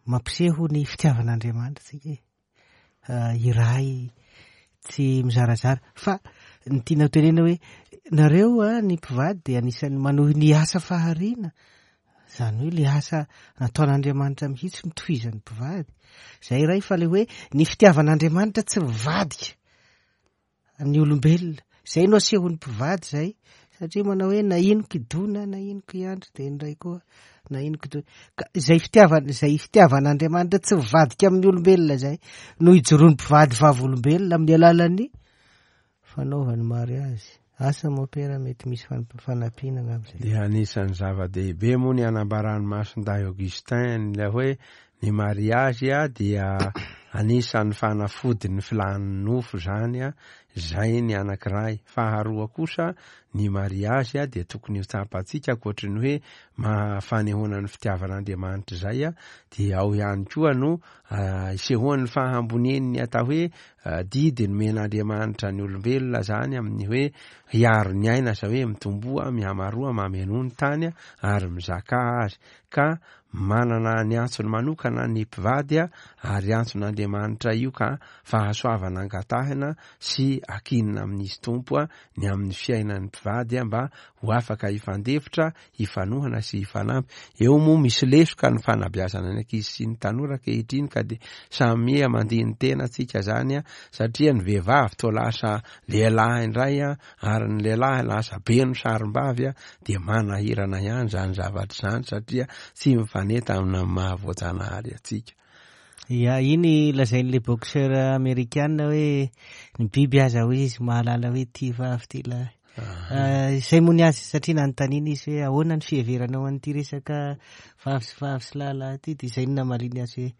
mampiseho ny fitiavan'Andriamanitra tsika e. Ah, iray tsy mizarazara. Fa ny tiana tenena hoe nareo a, ny mpivady de anisan'ny manohy ny asa fahariana, zany hoe le asa nataon'Andriamanitra mihitsy no tohizan'ny mpivady. Zay iray, fa le hoe ny fitiavan'Andriamanitra tsy mivadika ny olombelona, zay no asehon'ny mpivady zay, satria manao hoe na ino kidona, na ino kiandry, de indray koa na ino kidona. Ka zay fitiavana, zay fitiavan'Andriamanitra tsy mivadika amin'ny olombelona zay no ijoroan'ny mpivady vavolombelona amin'ny alalan'ny fanaovany mariazy. Asa mopera, mety misy fan-, fanampiana angamba zay. Dia anisan'ny zava-dehibe moa ny anambaran'ny Masindahy Augustin ilay hoe ny mariazy a dia Anisan'ny fanafodin'ny filàn'ny nofo zany a, zay ny anankiray. Faharoa kosa ny mariazy a dia tokony ho tsapantsika ankoatry ny hoe mahafanehoana ny fitiavan'Andriamanitra zay a, dia ao ihany koa no isehoan'ny fahambonian'ny atao hoe didy nomen'Andriamanitra ny olombelona zany amin'ny hoe hiaro ny aina, zay hoe mitomboa, mihamaroa, mamenoa ny tany ary mizaka azy. Ka manana ny antsony manokana ny mpivady a, ary antson'Andriamanitra io ka fahasoavana angatahina sy akinina amin'izy Tompo a ny amin'ny fiainan'ny mpivady a, mba ho afaka hifandefitra, hifanohana sy hifanampy. Eo moa misy lesoka ny fanabeazana ny ankizy sy ny tanora ankehitriny, ka de samy mandiny tena tsika zany a, satria ny vehivavy toa lasa lehilahy indray a, ary ny lehilahy lasa be no sarim-bavy a, de manahirana ihany zany zavatra zany satria tsy mifaneta amina mahavoajanahary atsika. Ya, iny lazain'le boxeur amerikana hoe ny biby aza hoy izy mahalala hoe ty vavy ty lahy. Izay moa ny azy, satria nanontaniana izy hoe ahoana ny fiheveranao an'ity resaka vavy sy vavy sy lahilahy ity, dia izay no namaliny azy hoe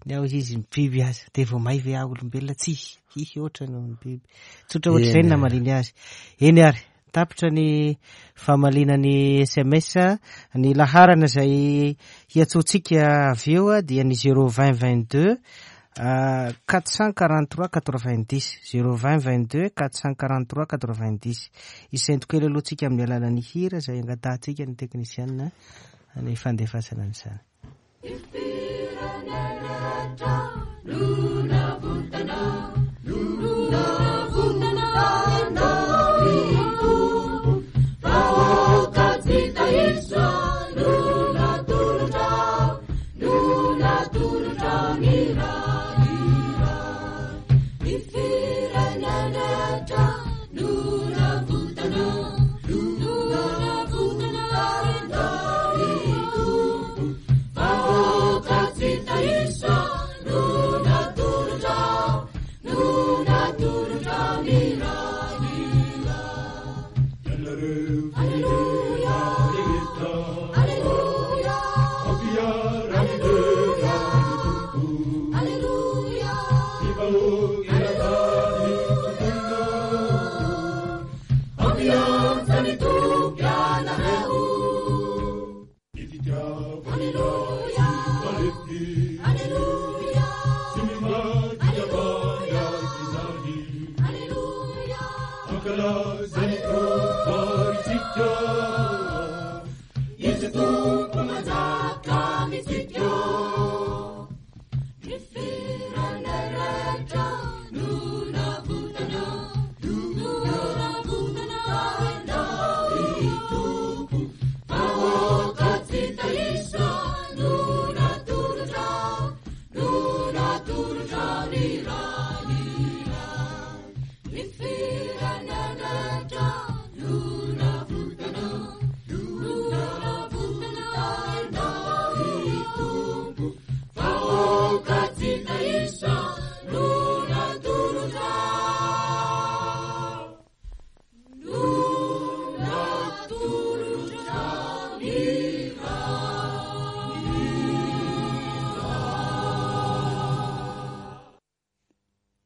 ny ao izy ny biby aza, dia vao may ve aho olombelona? Tsy hihy oatra noho ny biby. Tsotra ohatr'izay no namaliny azy. Eny ary, tapitra ny famaliana ny S M S, ny laharana izay hiantsoantsika avy eo dia ny zéro vingt vingt-deux quatre cent quarante-trois quatre-vingt-dix, zéro vingt vingt-deux quatre cent quarante-trois quatre-vingt-dix. Isento kely aloha tsika amin'ny alalan'ny hira izay angatahantsika ny teknisiana ny fandefasana an'izany.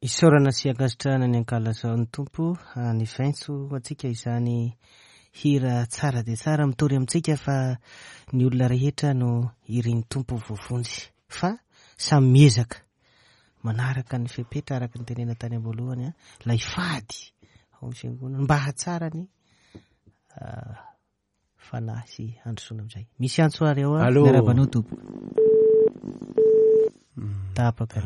Isaorana sy ankasitrahana ny ankalazao ny Tompo ny vaintso antsika izany hira tsara dia tsara mitory amintsika fa ny olona rehetra no irin'ny Tompo voavonjy, fa samy miezaka manaraka ny fepetra araka ny tenena tany am-boalohany ilay fady ao amin'ny fiangonana mba hahatsara ny fanahy sy handrosoana amin'izay. Misy antso ary ao a, miarahaba anao Tompo. Tapaka.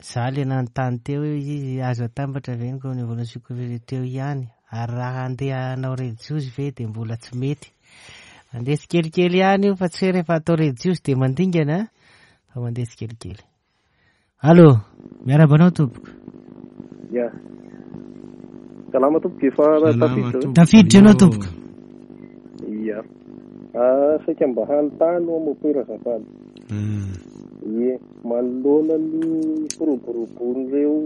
Za le nanontany teo hoe izy azo atambatra ve ny communion sy confession teo ihany, ary raha andeha hanao relijiozy ve dia mbola tsy mety. Mandeha tsikelikely ihany io fa tsy hoe rehefa atao relijiozy dia mandingana fa mandeha tsikelikely. Allô, miarahaba anao tompoko. Ya. Salama tompoko, efa tafiditra. Tafiditra ianao tompoko. Ya. Ah, saika mba hanontany ao mopera azafady. Ie, manoloana ny firoborobon'ireo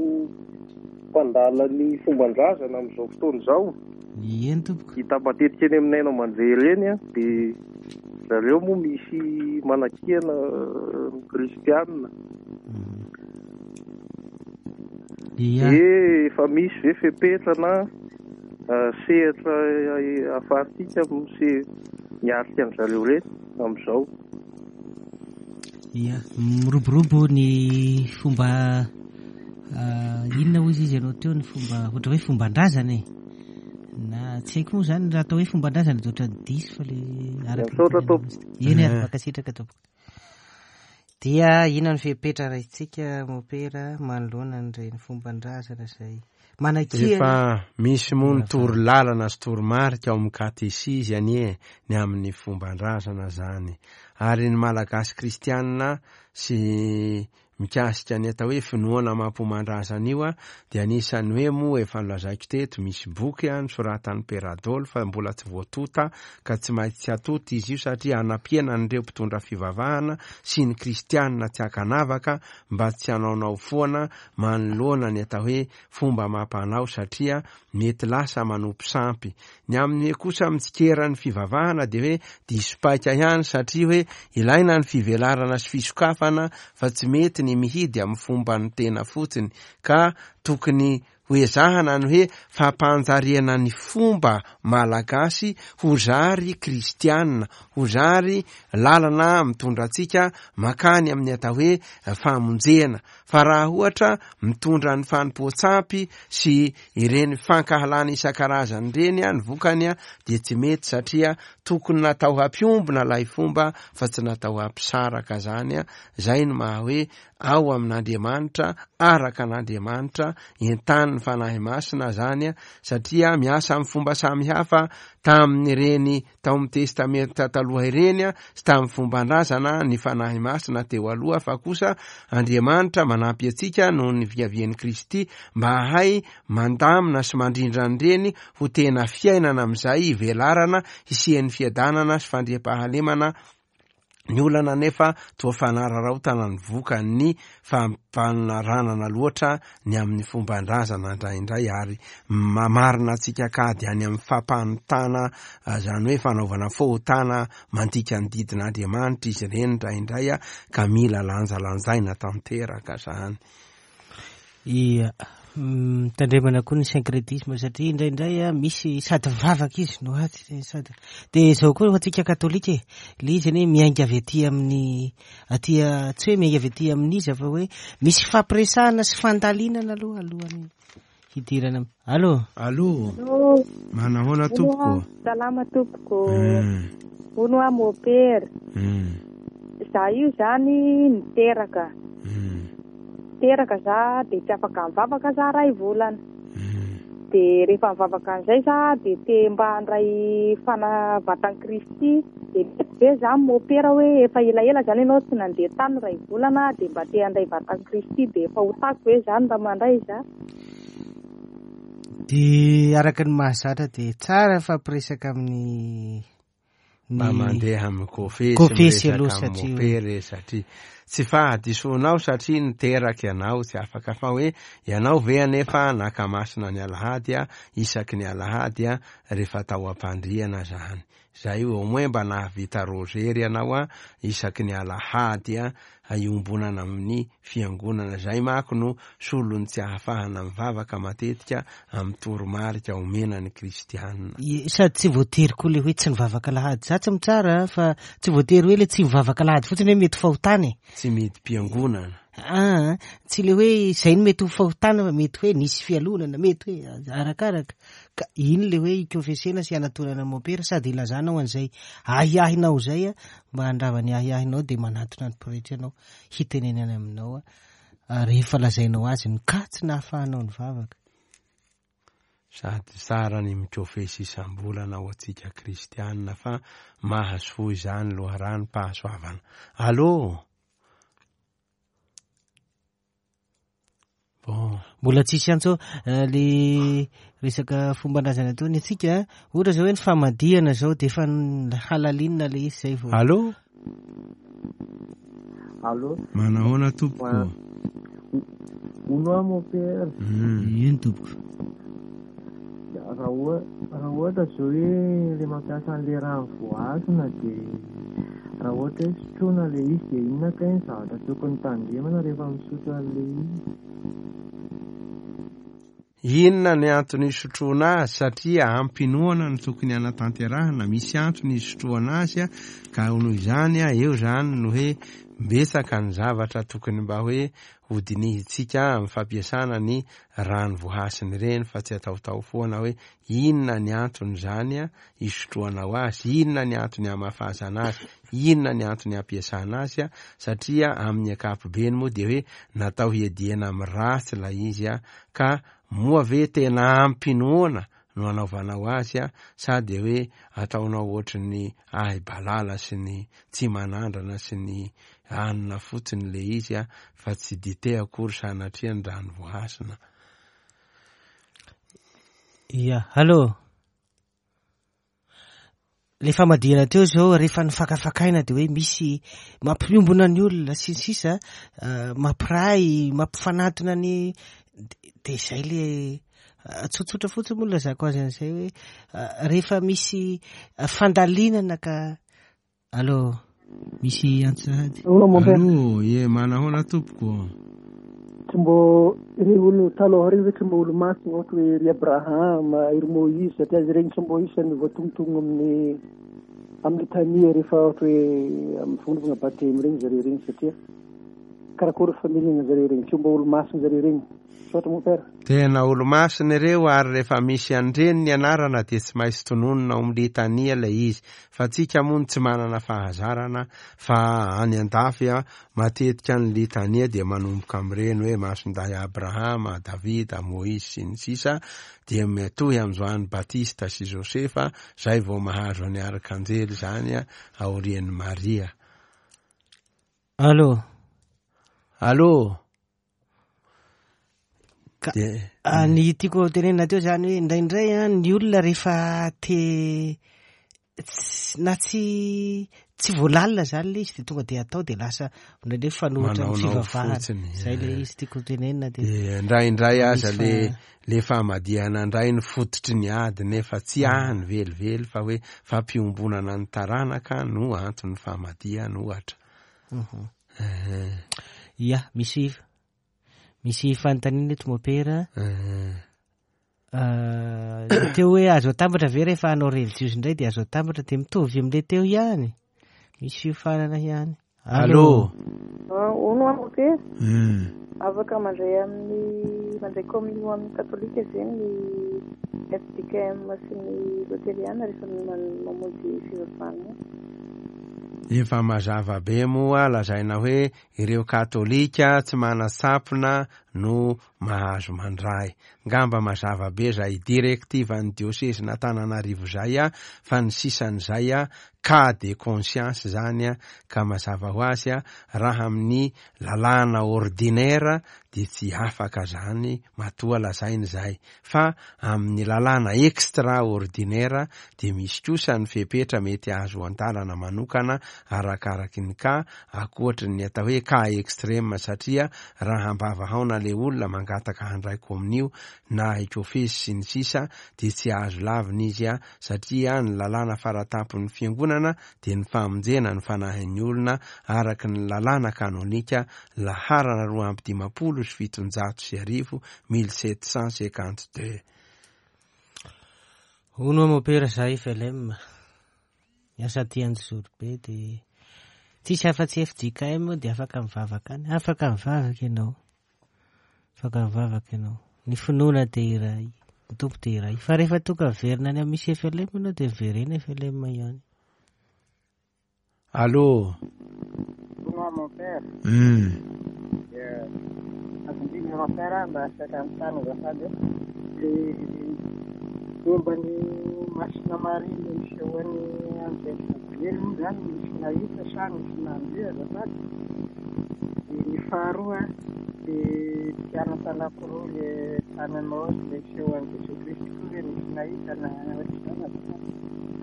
mpandala ny fomban-drazana amin'izao fotoana izao. Eny tompoko. Hita matetika eny amin'ny haino aman-jery eny a, dia zareo moa misy manakiana ny kristianina. Ia. Dia efa misy ve fepetra na sehatra ahafahantsika mise miatrika an-jareo ireny amin'izao? Ia, miroborobo ny fomba inona hoy izy ianao teo, ny fomba ohatra hoe fomban-drazana e. Na tsy haiko moa zany raha atao hoe fomban-drazana dia ohatran'ny diso fa le araka Misaotra tompoko. Eny ary mankasitraka tompoko. Dia inona ny fepetra raisitsika mopera manoloana an'ireny fomban-drazana izay manakiana? Efa misy moa ny toro lalana sy toromarika ao amin'ny katesizy anie ny amin'ny fomban-drazana zany. Ary ny Malagasy kristianina sy mikasika ny atao hoe finoana amam-pomban-drazana io a, dia anisan'ny hoe moa efa nolazaiko teto, misy boky a nosoratan'ny Père Adolphe fa mbola tsy voatonta ka tsy maintsy tsy atonta izy io satria hanampiana an'ireo mpitondra fivavahana sy ny kristianina tsy ankanavaka mba tsy hanaonao foana manoloana ny atao hoe fomba amam-panao satria mety lasa manompo sampy. Ny amin'ny hoe kosa mitsikeran'ny fivavahana dia hoe diso paika ihany satria hoe ilaina ny fivelarana sy fisokafana fa tsy mety ny mihidy amin'ny fomban'ny tena fotsiny ka tokony ho ezahana ny hoe fampanjariana ny fomba malagasy ho zary kristianina, ho zary lalana mitondra antsika makany amin'ny atao hoe famonjena. Fa raha ohatra mitondra ny fanompoan-tsampy sy ireny fankahalana isan-karazany ireny a, ny vokany a dia tsy mety satria tokony natao hampiombona ilay fomba fa tsy natao hampisaraka zany a. Zay no maha hoe ao amin'Andriamanitra, araka an'Andriamanitra, entanin'ny Fanahy Masina zany a, satria miasa amin'ny fomba samihafa tamin'ireny tao amin'ny Testamenta taloha ireny a, sy tamin'ny fomban-drazana ny Fanahy Masina teo aloha, fa kosa Andriamanitra manampy antsika noho ny fiavian'i Kristy mba hahay mandamina sy mandrindra an'ireny ho tena fiainana amin'izay ivelarana hisian'ny fiadanana sy fandriampahalemana. Ny olana nefa toa fanararaotana ny vokan'ny fampanaranana loatra ny amin'ny fomban-drazana indraindray ary mamarina antsika kady any amin'ny fampanontana, zany hoe fanaovana fahotana mandika ny didin'Andriamanitra izy ireny indraindray a, ka mila lanjalanjaina tanteraka zany. Ia, mitandremana koa ny syncrétisme satria indraindray a misy sady mivavaka izy no atsy sady dia zao koa antsika katolika e, le izy anie miainga avy aty amin'ny aty tsy hoe miainga avy aty amin'izy fa hoe misy fampiresahana sy fandalinana aloha alohan'ny hidirana. Allo. Allo. Manahoana tompoko? Salama tompoko. Hono aho mopera. Za io zany niteraka. Teraka za dia tsy afaka mivavaka za ray volana. Dia rehefa mivavaka an'izay za dia te mba handray fanavatan'i Kristy. Dia mety ve za mopera hoe efa elaela zany ianao tsy nandeha tany ray volana dia mba te handray vatan'i Kristy dia efa ho tako ve zany raha mandray za? Dia araka ny mahazatra dia tsara fampiresaka amin'ny mba mandeha amin'ny kofesy kofesy aloha satria mopere satria tsy fahadisoanao satria niteraka ianao tsy afaka fa hoe ianao ve anefa nakamasina ny alahady a isaky ny alahady a rehefa tao am-pandriana zany. Zay au moins mba nahavita rozery ianao a isaky ny alahady a iombonana amin'ny fiangonana. Zay manko no solony tsy ahafahana mivavaka matetika amin'ny toromarika omena ny kristianina. Sady tsy voatery koa le hoe tsy nivavaka alahady. Za tsy mitsara fa tsy voatery hoe le tsy mivavaka alahady fotsiny hoe mety fahotana e. Tsy midi-piangonana. Ah, tsy le hoe zay no mety ho fahotana fa mety hoe nisy fialonana, mety hoe arakaraka. Ka iny le hoe ikofesena sy anatonana mopera sady ilazanao an'izay ahiahinao zay a, mba handrava ny ahiahinao dia manatona ny pretra ianao hitenenana aminao a, rehefa lazainao azy ny ka tsy nahafahanao nivavaka. Sady tsara ny mikofesy isam-bolana ho antsika kristianina fa mahasoa izany loharanom-pahasoavana. Allo. Bon. Mbola tsisy antso le resaka fomban-drazana teo ny antsika, ohatra zao hoe ny famadihana zao dia efa halalinina le izy zay vao. Allo. Allo. Manahoana tompoko? Hono aho mopera. Eny tompoko. Ya, Raha oha- raha ohatra zao hoe le mampiasa an'le rano voahasina dia raha ohatra hoe sotroina le izy dia inona kay ny zavatra tokony tandremana rehefa misotro an'le izy? Inona ny antony isotroana azy? Satria ampinoana no tokony hanatanterahana, misy antony isotroana azy a, ka noho izany a, eo zany no hoe betsaka ny zavatra tokony mba hoe hodinihintsika amin'ny fampiasana ny rano voahasina ireny, fa tsy ataotao foana hoe inona ny antony zany a isotroanao azy, inona ny antony hamafazana azy, inona ny antony ampiasana azy a, satria amin'ny ankapobeny moa dia hoe natao hiadiana amin'ny ratsy ilay izy a, ka moa ve tena ampinoana no anaovanao azy a, sa dia hoe ataonao ohatry ny ahy balala sy ny tsy manandrana sy ny anina fotsiny le izy a, fa tsy dite akory sanatria ny rano voahasina. Ia, allô. Le famadihana teo zao rehefa nifakafakaina dia hoe misy mampiombona ny olona sy ny sisa, mampiray, mampifanatona ny de zay le tsotsotra fotsiny moa lazako azy an'izay hoe rehefa misy fandalinana ka. Allô, misy antso sahady. Allô, mon père. Allô, ye manahoana tompoko? Tsy mbô ireo olo taloha ireo ve tsy mbô olo masina ohatra hoe ry Abraham, ry Moïse, satria izy ireny tsy mbô isan'ny voatongotongo amin'ny amin'ny litania rehefa ohatra hoe amin'ny fagnaovana batemy ireny zareo ireny, satria karakory familiana zareo ireny, tsy mbô olo masina zareo ireny. Misaotra mon père. Tena olo masina ireo, ary rehefa misy an'ireny ny anarana dia tsy maintsy tononina ao amin'ny litania ilay izy, fa tsika moa no tsy manana fahazarana, fa any an-dafy a matetika ny litania dia manomboka amin'ireny hoe Masindahy Abrahama, Davida, Moïse sy ny sisa, dia mitohy amin'i Joany Batista sy Josefa, zay vao mahazo ny arkanjely zany a aorian'i Maria. Allô. Allô. Ka De- ah, ny tiako tenenina teo zany hoe indraindray a ny olona rehefa te ts-, na tsy, tsy voalalina zany le izy de tonga de atao de lasa indraindray fanohitra amin'ny Manaonao fivavahana. fotsiny, Zay le eh. izy tiako tenenina de Eh, indraindray aza misy le fa- le famadihana indray ny fototry ny ady, nefa tsy any velively fa hoe fampiombonana ny taranaka no anton'ny famadihana ohatra. Mhm. Eh. Ia, misy, misy fanontaniana eto mopera. Eh. Ah, teo hoe azo atambatra ve rehefa hanao relijiozy indray de azo atambatra de mitovy amin'le teo ihany. Misy fiofanana ihany. Allô. Ah, ono aho mopera. Hmm. Afaka mandray amin'ny, mandray communion amin'ny katolika ve ny F D K M sy ny loteriana rehefa man-, mamonjy fivavahana? Efa mazava be moa lazaina hoe ireo katolika tsy manasampona no mahazo mandray. Ngamba mazava be zay direktivan'ny diocese n'Antananarivo zay a, fa ny sisan'izay a cas de conscience zany a, ka mazava ho azy a raha amin'ny lalàna ordinaire de tsy afaka zany matoa lazaina zay, fa amin'ny lalàna extraordinaire de misy kosa ny fepetra mety azo an-dalana manokana arakaraky ny cas, ankoatry ny atao hoe cas extrême, satria raha ambavahaona le olona mangataka handray kominio na hikofesy sy ny sisa de tsy azo lavina izy a, satria ny lalàna faratampon'ny fiangonana de ny famonjena ny fanahin'ny olona araky ny lalàna kanonika laharana roa amby dimampolo sy fitonjato sy arivo mille sept cent cinquante deux. Ono mopera zahay F L M. Miasa aty Anjozorobe de tsisy afa-tsy F J K M de afaka mivavaka any. Afaka mivavaka ianao. Afaka mivavaka ianao. Ny finoana de iray, ny Tompo de iray. Fa rehefa tonga miverina any amin'ny misy F L M ianao de miverena F L M ihany. Allô. Bonjour mon père. Hmm. Yeah. Azonjiny mon père mba afaka mitany azafady. Le momba ny Masina Maria le nisehoan'ny Anjely Gabriel moa zany nisy nahita sa nisy nandeha azafady. De ny faharoa le mpianatra anankiroa le tany Emaosy le nisehoan'i Jesoa Kristy koa ve nisy nahita na ohatr'izany azafady.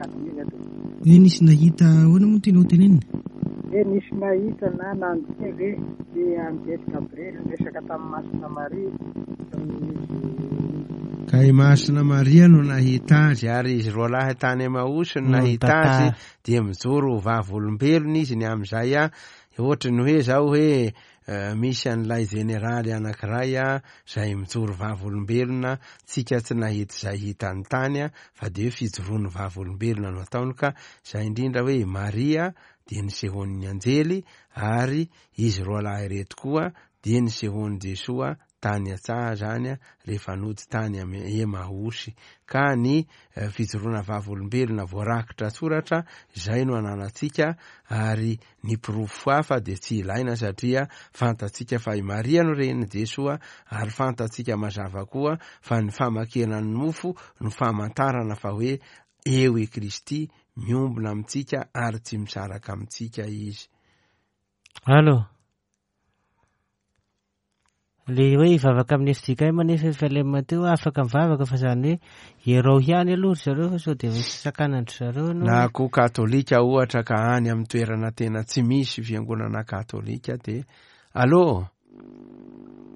Adinina to. Hoe nisy nahita ahoana moa tianao tenenina? Hoe nisy nahita na nandeha ve le Anjely Gabriel niresaka tamin'ny Masina Maria tamin'izy Ka Ka i Masina Maria no nahita azy, ary izy roa lahy tany Emaosy no No nahita azy, nitantara. dia mijoro ho vavolombelona izy ny amin'izay a. Ohatry ny hoe zao hoe, eh, misy an'ilay jeneraly anankiray a, izay mijoro vavolombelona, tsika tsy nahita izay hitany tany a, fa dia hoe fijoroan'ny vavolombelona no ataony, ka izay indrindra hoe i Maria dia nisehoan'ny anjely, ary izy roa lahy ireto koa dia nisehoan'i Jesoa tany an-tsaha zany a, rehefa nody tany amy Emaosy. Ka ny, eh, fijoroana vavolombelona voarakitra soratra izay no ananantsika, ary ny porofo hafa dia tsy ilaina satria fantatsika fa i Maria no renin'i Jesoa, ary fantatsika mazava koa fa ny famakiana ny mofo no famantarana fa hoe eo i Kristy miombona amintsika ary tsy misaraka amintsika izy. Allô? Le hoe hivavaka amin'ny F D K M nefa efa ilay Mateo afaka mivavaka, fa zany hoe ierao ihany aloha ry zareo fa sao dia misy sakanandry zareo ianao. Na koa katolika ohatra ka any amin'ny toerana tena tsy misy fiangonana katolika dia allô?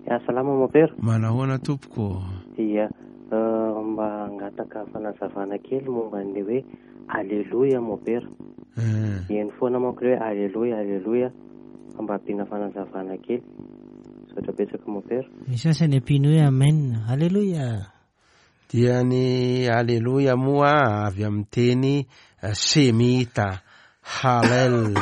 Ya, salama mopera. Manahoana tompoko? Ia, eh, mba hangataka fanazavana kely momba ny hoe aleloia mopera. Eh. Eny foana manko hoe aleloia, aleloia, fa mba ampiana fanazavana kely. Misaotra betsaka mopera. Misy sasany ampiany hoe amen, aleloia. Dia ny aleloia moa avy amin'ny teny, eh, semita, halel.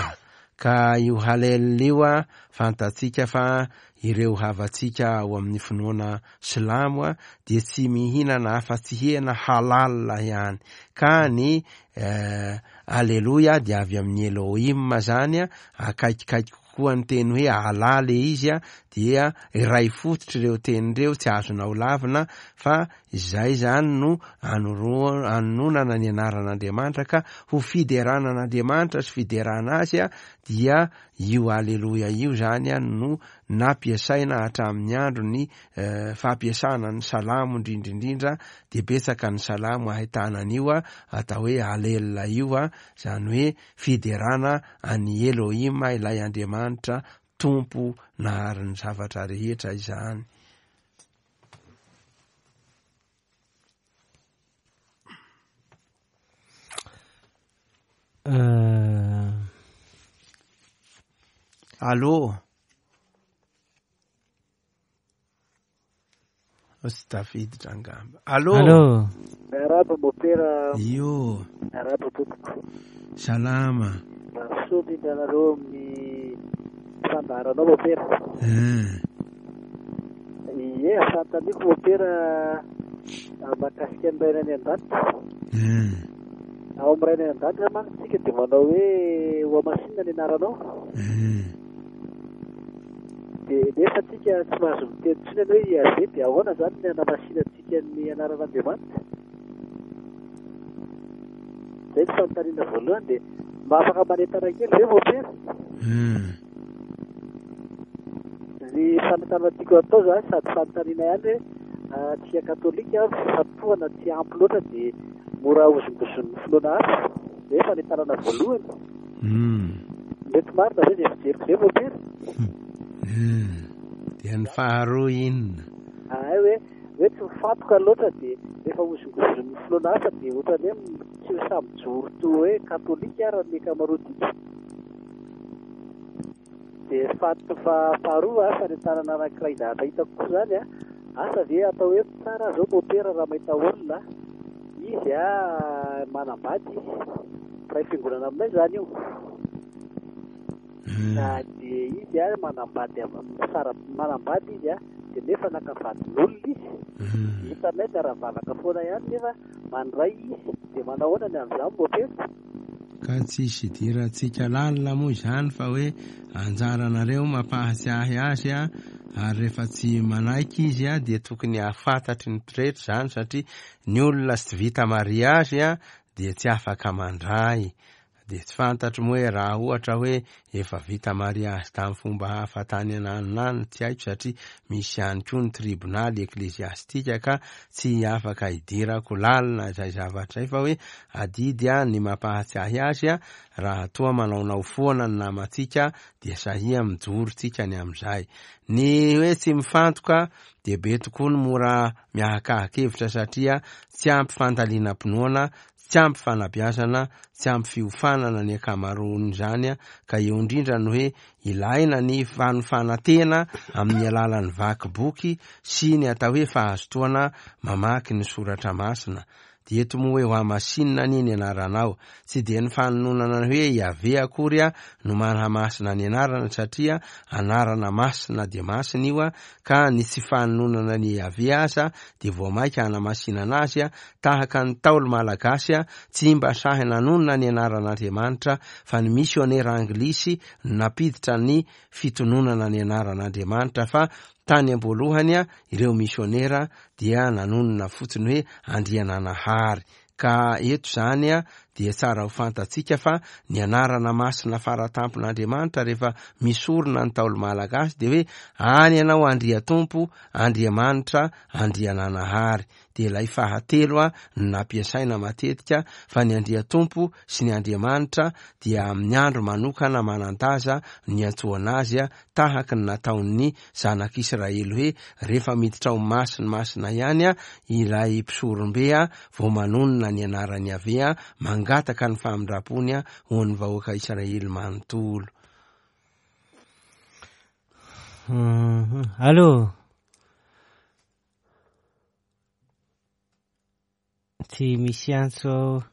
Ka io halel io a, fantatsika fa ireo havantsika ao amin'ny finoana silamo a, dia tsy mihinana afa-tsy hena halal ihany. Ka ny, eh, aleloia dia avy amin'ny Elohim zany a, akaikikaiky kokoa ny teny hoe Allah le izy a, dia iray fototra ireo teny ireo, tsy azonao lavina, fa izay zany no anoro-, anononana ny anaran'Andriamanitra, ka ho fiderana an'Andriamanitra sy fiderana azy a, dia io aleloia io zany a no nampiasaina hatramin'ny andro ny, eh, fampiasana ny salamo indrindrindrindra, dia betsaka ny salamo ahitana an'io a, atao hoe alel io a, zany hoe fiderana an'i Elohim ilay Andriamanitra Tompo nahary ny zavatra rehetra izany. Eh, Allô? Tsy tafiditra angamba. Allô? Allô? Miarahaba mopera. Io. Miarahaba tompoko. Salama. Mahasoa indrindra anareo amin'ny fandaharanao mopera. Eh. Ie, fanontaniako mopera mahakasika ny Rainay any an-danitra. Eh. Ao amin'ny Rainay any an-danitra mantsy tsika dia manao hoe ho hamasinina ny anaranao. Eh. Dia nefa tsika tsy mahazo miteny intsony hoe Yaveh, dia ahoana zany ny hanamasinantsika ny anaran'Andriamanitra? Zay ny fanontaniana voalohany. Dia mba afaka manentana kely ve mopera? Hmm. Ny fanontaniana tiako atao zany sady fanontaniana ihany hoe, ah, tsika katolika fifantohana tsy ampy loatra dia mora hozongozon'ny finoana hafa. Zay fanentanana voalohany. Hmm. Mety marina ve izay fijeriko izay mopera? Hmm. Dia ny faharoa inona? Ah, hoe, hoe tsy mifantoka loatra dia rehefa hozongozon'ny finoana hafa dia ohatran'ny hoe tsy ho samy mijoro toy hoe katolika ary ny ankamaroantsika. Dia fahat-, fa-, faharoa, fanentanana anankiray zavatra hitako koa zany a, asa ve atao hoe tsara zao mopera raha mahita olona izy a, manambady izy, mpiray fiangonana aminay zany io. Hmm. Na dia izy a, manambady am-, sara-, manambady izy a, dia nefa naka vadin'olona izy. Hmm. Hitanay miara-mivavaka foana ihany nefa mandray izy, dia manao ahoana ny amin'izany mopera? Ka tsisy idirantsika lalina moa izany fa hoe anjaranareo mampahatsiahy azy a, ary rehefa tsy manaiky izy a, dia tokony hahafantatry ny pretra izany, satria ny olona tsy vita mariazy a, dia tsy afaka mandray. Dia tsy fantatro moa hoe raha ohatra hoe efa vita mariazy tamin'ny fomba hafa tany ananonany, tsy haiko, satria misy ihany koa ny tribonaly ekleziastika ka tsy afaka hidirako lalina izay zavatra izay, fa hoe adidy a ny mampahatsiahy azy a, raha toa manaonao foana ny namantsika dia sahia mijoro tsika ny amin'izay. Ny hoe tsy mifantoka dia be tokoa ny mora miahakahakevitra satria tsy ampy fandalinam-pinoana, tsy ampy fanabeazana, tsy ampy fiofanana ny ankamaroan'izany, ka eo indrindra ny hoe ilaina ny fanofanantena amin'ny alalan'ny vaky boky sy ny atao hoe fahazotoana mamaky ny soratra masina. Dia eto moa hoe ho hamasinina anie ny anaranao. Tsy dia ny fanononana ny hoe Yaveh akory a no manamasina ny anarana, satria anarana masina dia masina io a, ka ny tsy fanononana ny Yaveh aza dia vao mainka hanamasinana azy a, tahaka ny Ntaolo malagasy a, tsy mba sahy nanonona ny anaran'Andriamanitra, fa ny misionera anglisy no nampiditra ny fitononana ny anaran'Andriamanitra, fa tany am-boalohany a ireo misionera dia nanonona fotsiny hoe Andriananahary. Ka eto zany a dia tsara ho fantatsika fa ny anarana masina faratampon'Andriamanitra rehefa misorona ny Ntaolo malagasy dia hoe any ianao Andriatompo, Andriamanitra, Andriananahary. Dia ilay fahatelo a no nampiasaina matetika, fa ny Andriatompo sy ny Andriamanitra dia amin'ny andro manokana manan-daza ny antsoana azy a, tahaka ny nataon'ny zanak'Israely hoe rehefa miditra ao masina masina ihany a ilay mpisorombe a vao manonona ny anaran'i Yaveh a, mangataka ny famindrampony a ho an'ny vahoaka Israely manontolo. Allô? Tsy misy antso.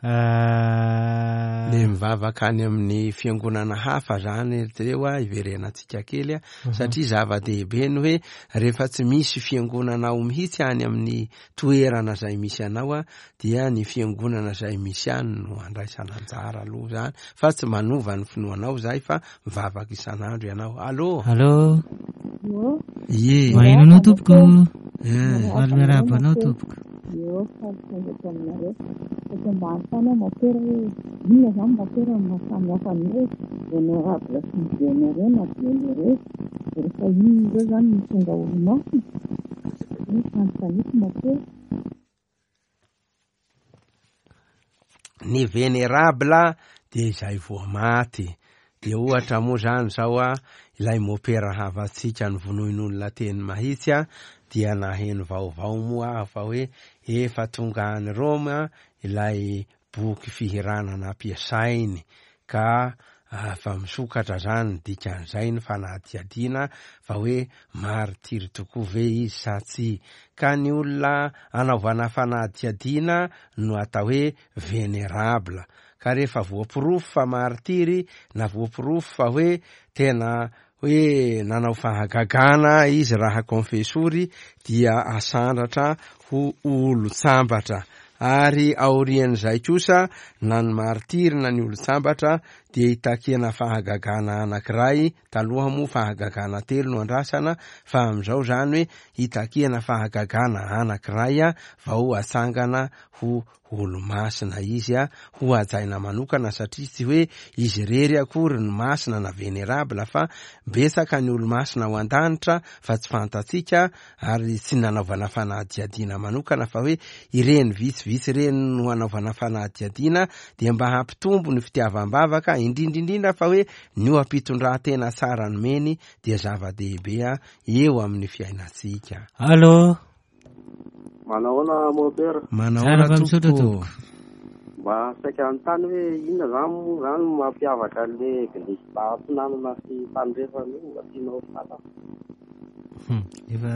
Le mivavaka any amin'ny fiangonana hafa zany reo a, iverenantsika kely a, satria zava-dehibe ny hoe rehefa tsy misy fiangonana ao mihitsy any amin'ny toerana izay misy anao a, dia ny fiangonana izay misy any no andraisana anjara aloha zany, fa tsy manova ny finoanao zay fa mivavaka isan'andro ianao. Allô? Allô? Ie. Maheno anao tompoko. Faly miarahaba anao tompoko. Eo, faly tonga aminareo. Eto ambany tany aho mopera hoe inona izany mopera no mahasamihafa ny hoe vénérable sy ny vénéré na vénéré. Rehefa inona ireo izany no tonga olo-masina? Ny fanontaniako mopera. Ny vénérable dia izay voamaty. Dia ohatra moa izany izao a, ilay mopera havantsika ny vonoin'olona teny mahitsy a, dia naheno vaovao moa aho fa hoe efa tonga any Roma ilay boky fihirana nampiasainy, ka fa misokatra zany dikan'izay ny fanadihadiana fa hoe martiry tokoa ve izy sa tsy. Ka ny olona anaovana fanadihadiana no atao hoe vénérable. Ka rehefa voaporofo fa martiry na voaporofo fa hoe tena hoe nanao fahagagana izy raha konfesory dia asandratra ho olon-tsambatra. Ary aorian'izay kosa na ny martiry na ny olon-tsambatra dia itakiana fahagagana anankiray. Taloha moa fahagagana telo no andrasana, fa amin'izao zany hoe itakiana fahagagana anankiray a vao atsangana ho olo-masina izy a, ho hajaina manokana, satria tsy hoe izy irery akory ny masina na vénérable, fa betsaka ny olo-masina ao an-danitra fa tsy fantatsika ary tsy nanaovana fanadihadiana manokana, fa hoe ireny vitsivitsy ireny no hanaovana fanadihadiana dia mba hampitombo ny fitiavam-bavaka, indrindra indrindra fa hoe ny oha-pitondran-tena tsara nomeny dia zava-dehibe a eo amin'ny fiainantsika. Allô? Manahoana mopera? Manahoana tompoko? Mba saika anontany hoe inona zany moa zany mampiavaka an'le eglizy atsinanana sy tandrefana io, mba tianao fantatra? Efa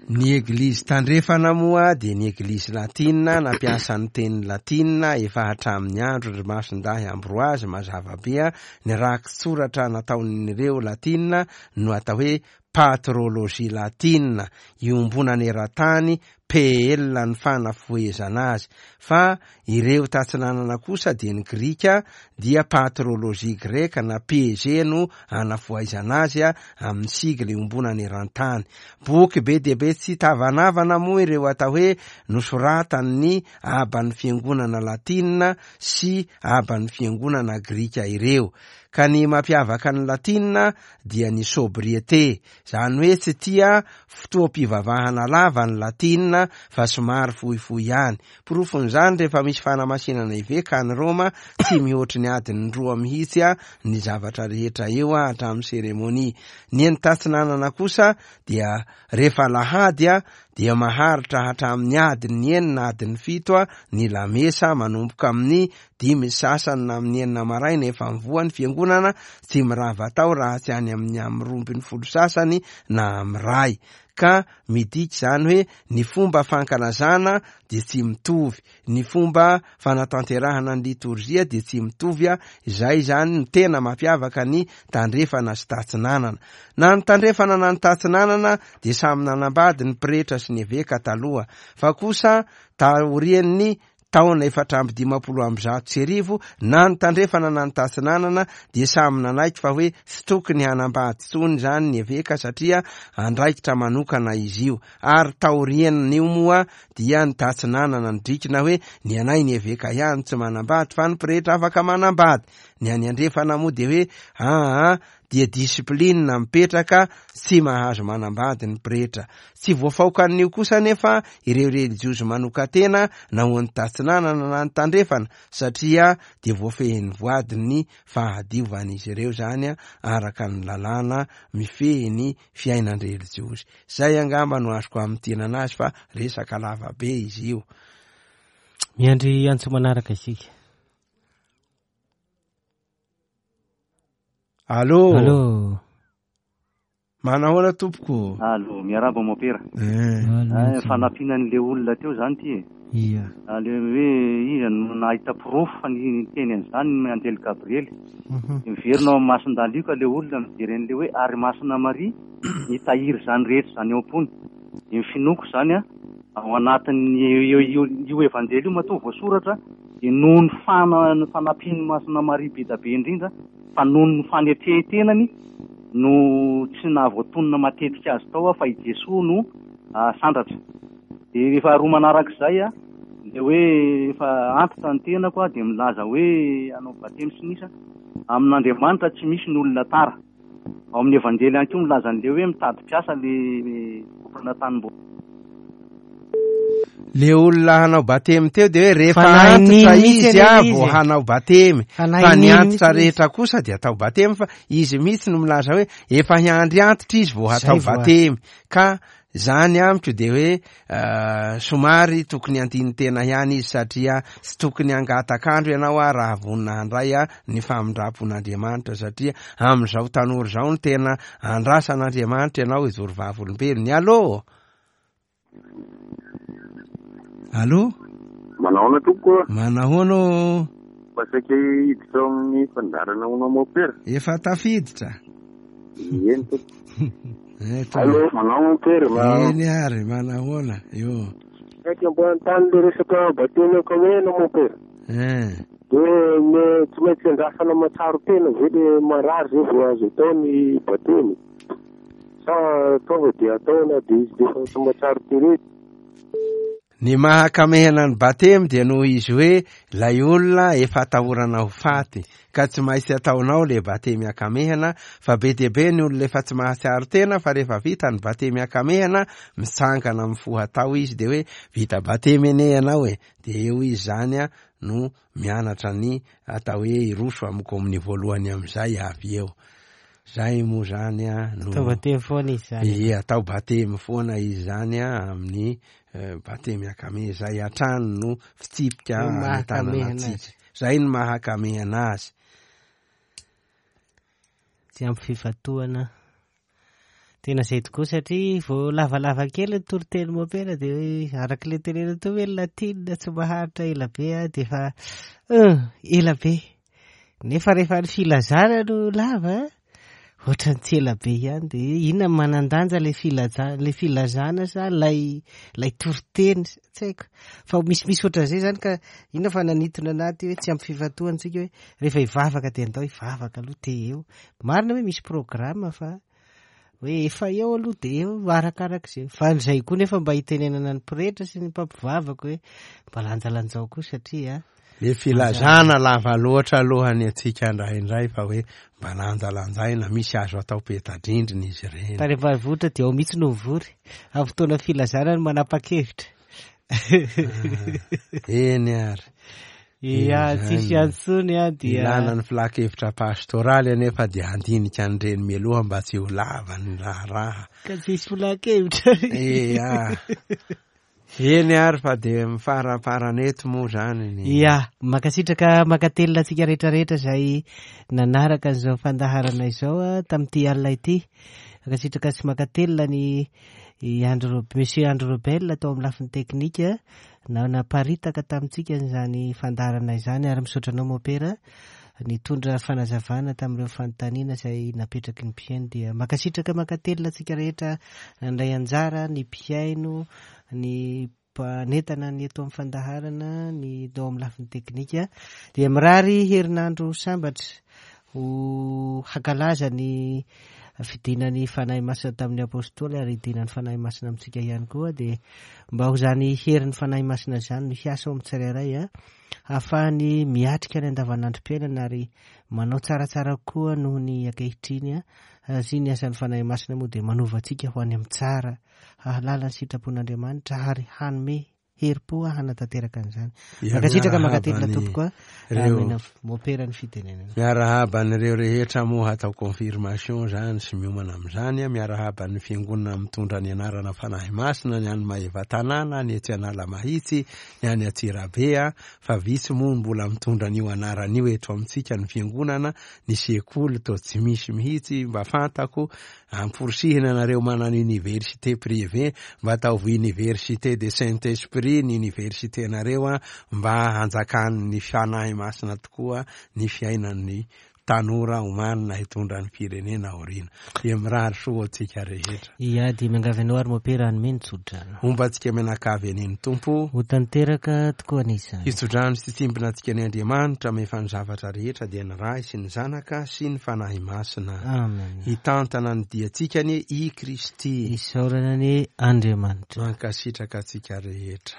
ny eglizy tandrefana moa dia ny eglizy latina, nampiasa ny teny latina efa hatramin'ny andro ry Masindahy Ambroise. Mazava be a, ny rakitsoratra nataon'ireo latina no atao hoe patrologie latina iombonana eran-tany, P L ny fanafohezana azy. Fa ireo tatsinanana kosa dia ny grika dia patrologie greka na P G no anafohaizana azy amin'ny sigle iombonana eran-tany. Boky be dia be tsy tavanavana moa ireo atao hoe nosoratan'ny aban'ny fiangonana latina sy aban'ny fiangonana grika ireo. Ka ny mampiavaka ny latina dia ny sobriété, zany hoe tsy tia fotoam-pivavahana lava ny latina fa somary fohifohy ihany. Porofon'izany rehefa misy fanamasinana eveka any Roma, tsy mihoatry ny adiny roa mihitsy a ny zavatra rehetra eo a hatramin'ny seremonia. Ny eny tatsinanana kosa dia rehefa alahady a dia maharitra hatramin'ny adiny enina, adiny fito a ny lamesa, manomboka amin'ny dimy sasany na amin'ny enina maraina efa mivoha ny fiangonana, tsy mirava tao raha tsy any amin'ny amin'ny roa ambin'ny folo sasany na amin'ny ray. Ka midika izany hoe ny fomba fankalazana dia tsy mitovy, ny fomba fanatanterahana ny litorjia dia tsy mitovy a, izay izany no tena mampiavaka ny tandrefana sy tatsinanana. Na ny tandrefana na ny tatsinanana dia samy nanambady ny pretra sy ny eveka taloha, fa kosa taorian'ny taona efatra amby dimampolo amby zato sy arivo, na ny tandrefana na ny tatsinanana dia samy nanaiky fa hoe tsy tokony hanambady intsony izany ny eveka satria andraikitra manokana izy io. Ary taorian'io moa dia ny tatsinanana nidrikina hoe ny anay ny eveka ihany tsy manambady fa ny pretra afaka manambady. Ny any andrefana moa dia hoe aa dia discipline mipetraka, tsy mahazo manambady ny pretra. Tsy voafaokan'io kosa nefa ireo relijiozy manokan-tena na ho an'ny tatsinanana na ny tandrefana, satria dia voafehin'ny voadin'ny fahadiovan'izy ireo zany araka ny lalàna mifehy ny fiainan-drelijiozy. Zay angamba no azoko amintinana azy fa resaka lava be izy io. Miandry antso manaraka isika. Allô. Allô. Manahoana tompoko? Allô, miarahaba mopera. Eh. Fanampiana an'le olona teo zany ty e. Ia. Le hoe iza no nahita porofo fa ny teny an'izany ny Anjely Gabriely. Miverina ao amin'ny Masin-dalioka le olona mijery an'le hoe ary Masina Maria nitahiry izany rehetra izany eo am-pony. Ny finoako zany a ao anatin'ny io evanjely io matoa voasoratra dia noho ny fana- fanampian'ny Masina Maria be dia be indrindra, fa noho ny fanetren-tenany no tsy nahavoatonona matetika azy tao fa i Jesoa no sandratra. Dia rehefa roa manarak'izay a dia hoe efa antitra ny tenako a dia milaza hoe hanao batemy sy nisa amin'Andriamanitra tsy misy ny olona tara. Ao amin'ny evanjely ihany koa milaza an'ilay hoe mitady mpiasa le tompona tanimbola. Le olona hanao batemy teo dia hoe rehefa antitra izy a vao hanao batemy, fa ny antitra rehetra kosa dia atao batemy, fa izy mihitsy no milaza hoe efa hiandry antitra izy vao hatao batemy. Ka zany amiko dia hoe somary tokony andinin-tena ihany izy, satria tsy tokony hangatak'andro ianao a raha vonona handray a ny famindram-pon'Andriamanitra, satria amin'izao tanora izao no tena andrasan'Andriamanitra ianao hijoro vavolombelony. Allô. Allô? Manahoana tompoko? Manahoana? Mba saika hiditra ao amin'ny fandaharana ho anao mopera. Efa tafiditra. Eny tompoko. Allô, manao mopera. Eny ary, manahoana? Io. Saika mba hanontany le resaka batemy ankamehana mopera. Eh. Dia me tsy maintsy andrasana mahatsiaro tena ve le marary zay vao azo atao ny batemy? Sa tonga dia atao na dia izy efa tsy mahatsiaro tena? Ny mahakamehana ny batemy dia noho izy hoe ilay olona efa atahorana ho faty, ka tsy maintsy ataonao le batemy akamehana, fa be dia be ny olona efa tsy mahatsiaro tena, fa rehefa vita ny batemy akamehana mitsangana mifoha tao izy dia hoe vita batemy anie ianao e, dia eo izy zany a no mianatra ny atao hoe hiroso amin'ny komin'ny voalohany amin'izay avy eo. Zay moa zany a no atao batemy foana izy zany. Ie, atao batemy foana izy zany a amin'ny batemy akame, zay hatrany no fitsipika mahakamehana antsika. Zay no mahakamehana azy. Tsy ampy fifantohana. Tena zay tokoa, satria vao lavalava kely ny toriteny mopera dia hoe araka ilay tenena teo hoe latina tsy maharitra ela be a dia efa ela be. Nefa rehefa ny filazana no lava, Ohatran'ny tsy ela be ihany dia inona no manan-danja ilay filaza- ilay filazana sa ilay ilay toriteny tsy haiko. Fa misimisy ohatran'izay izany ka inona fa nanintona anaty hoe tsy ampy fifantohana isika hoe rehefa hivavaka dia andao hivavaka aloha dia eo. Marina hoe misy programme fa hoe efa eo aloha dia eo arakarak'izay. Fa izay koa nefa mba hitenenana ny pretra sy ny mpampivavaka hoe mba lanjalanjao koa satria le filazana lava loatra aloha ny antsika indraindray fa hoe mba lanjalanjaina misy azo atao peta-drindrina izy ireny. Tany ambanivohitra dia ao mihitsy no mivory amin'ny fotoana filazana no manapa-kevitra. Eny ary. Ia, tsisy antsony a dia ilana ny filan-kevitra pastoraly anefa dia handinika an'ireny mialoha mba tsy ho lava ny raharaha. Ka tsisy filan-kevitra. Ia. Eny ary fa dia mifaraparana eto moa zany ny Ia, mankasitraka mankatelina antsika rehetrarehetra izay nanaraka an'izao fandaharana izao a tamin'ity alina ity. Mankasitraka sy mankatelina ny i Andro, Monsieur Andro Robel tao amin'ny lafiny teknika na naparitaka tamintsika izany fandaharana izany ary misaotra anao Mopera nitondra fanazavana tamin'ireo fanontaniana izay napetraky ny mpihaino. Dia mankasitraka mankatelina antsika rehetra nandray anjara, ny mpihaino, ny mpanentana ny eto amin'ny fandaharana, ny tao amin'ny lafiny teknika. Dia mirary herinandro sambatra ho hankalaza ny fidinan'ny Fanahy Masina tamin'ny Apôstôly ary hidinan'ny Fanahy Masina amintsika ihany koa. Dia mba ho izany herin'ny Fanahy Masina izany no hiasa ao amin'ny tsirairay a ahafahany miatrika ny andavanandrom-piainana ary manao tsaratsara koa noho ny ankehitriny a. Sy ny asan'ny Fanahy Masina moa dia manova antsika ho any amin'ny tsara, hahalala ny sitrapon'Andriamanitra ary hanome herim-po hanatanteraka an'izany. Mankasitraka mankatelina tompoko a. Ireo Mopera ny fitenenana. Miarahaba an'ireo rehetra moa hatao confirmation zany sy miomana amin'izany a. Miarahaba ny fiangonana mitondra ny anarana Fanahy Masina, ny any Maevatanàna, ny etsy Analamahitsy, ny any Antsirabe a. Fa vitsy moa mbola mitondra an'io anarana io eto amintsika ny fiangonana, ny sekoly toa tsy misy mihitsy. Mba fantako amporisihina anareo manana université privée, mba ataovy université de Saint-Esprit ny université nareo a, mba hanjakan'ny Fanahy Masina tokoa ny fiainan'ny tanora omanina hitondra ny firenena aoriana. Dia mirary soa antsika rehetra. Ia, dia miangavy anao ary Mopera hanome ny tsodrano. Homba antsika mianakavy an'iny Tompo. Ho tanteraka tokoa an'izany. Hitsodrano sy tsimbina antsika ny Andriamanitra mefa ny zavatra rehetra dia ny Ray sy ny Zanaka sy ny Fanahy Masina. Amen. Hitantana ny diantsika anie i Kristy. Isaorana anie Andriamanitra. Mankasitraka antsika rehetra.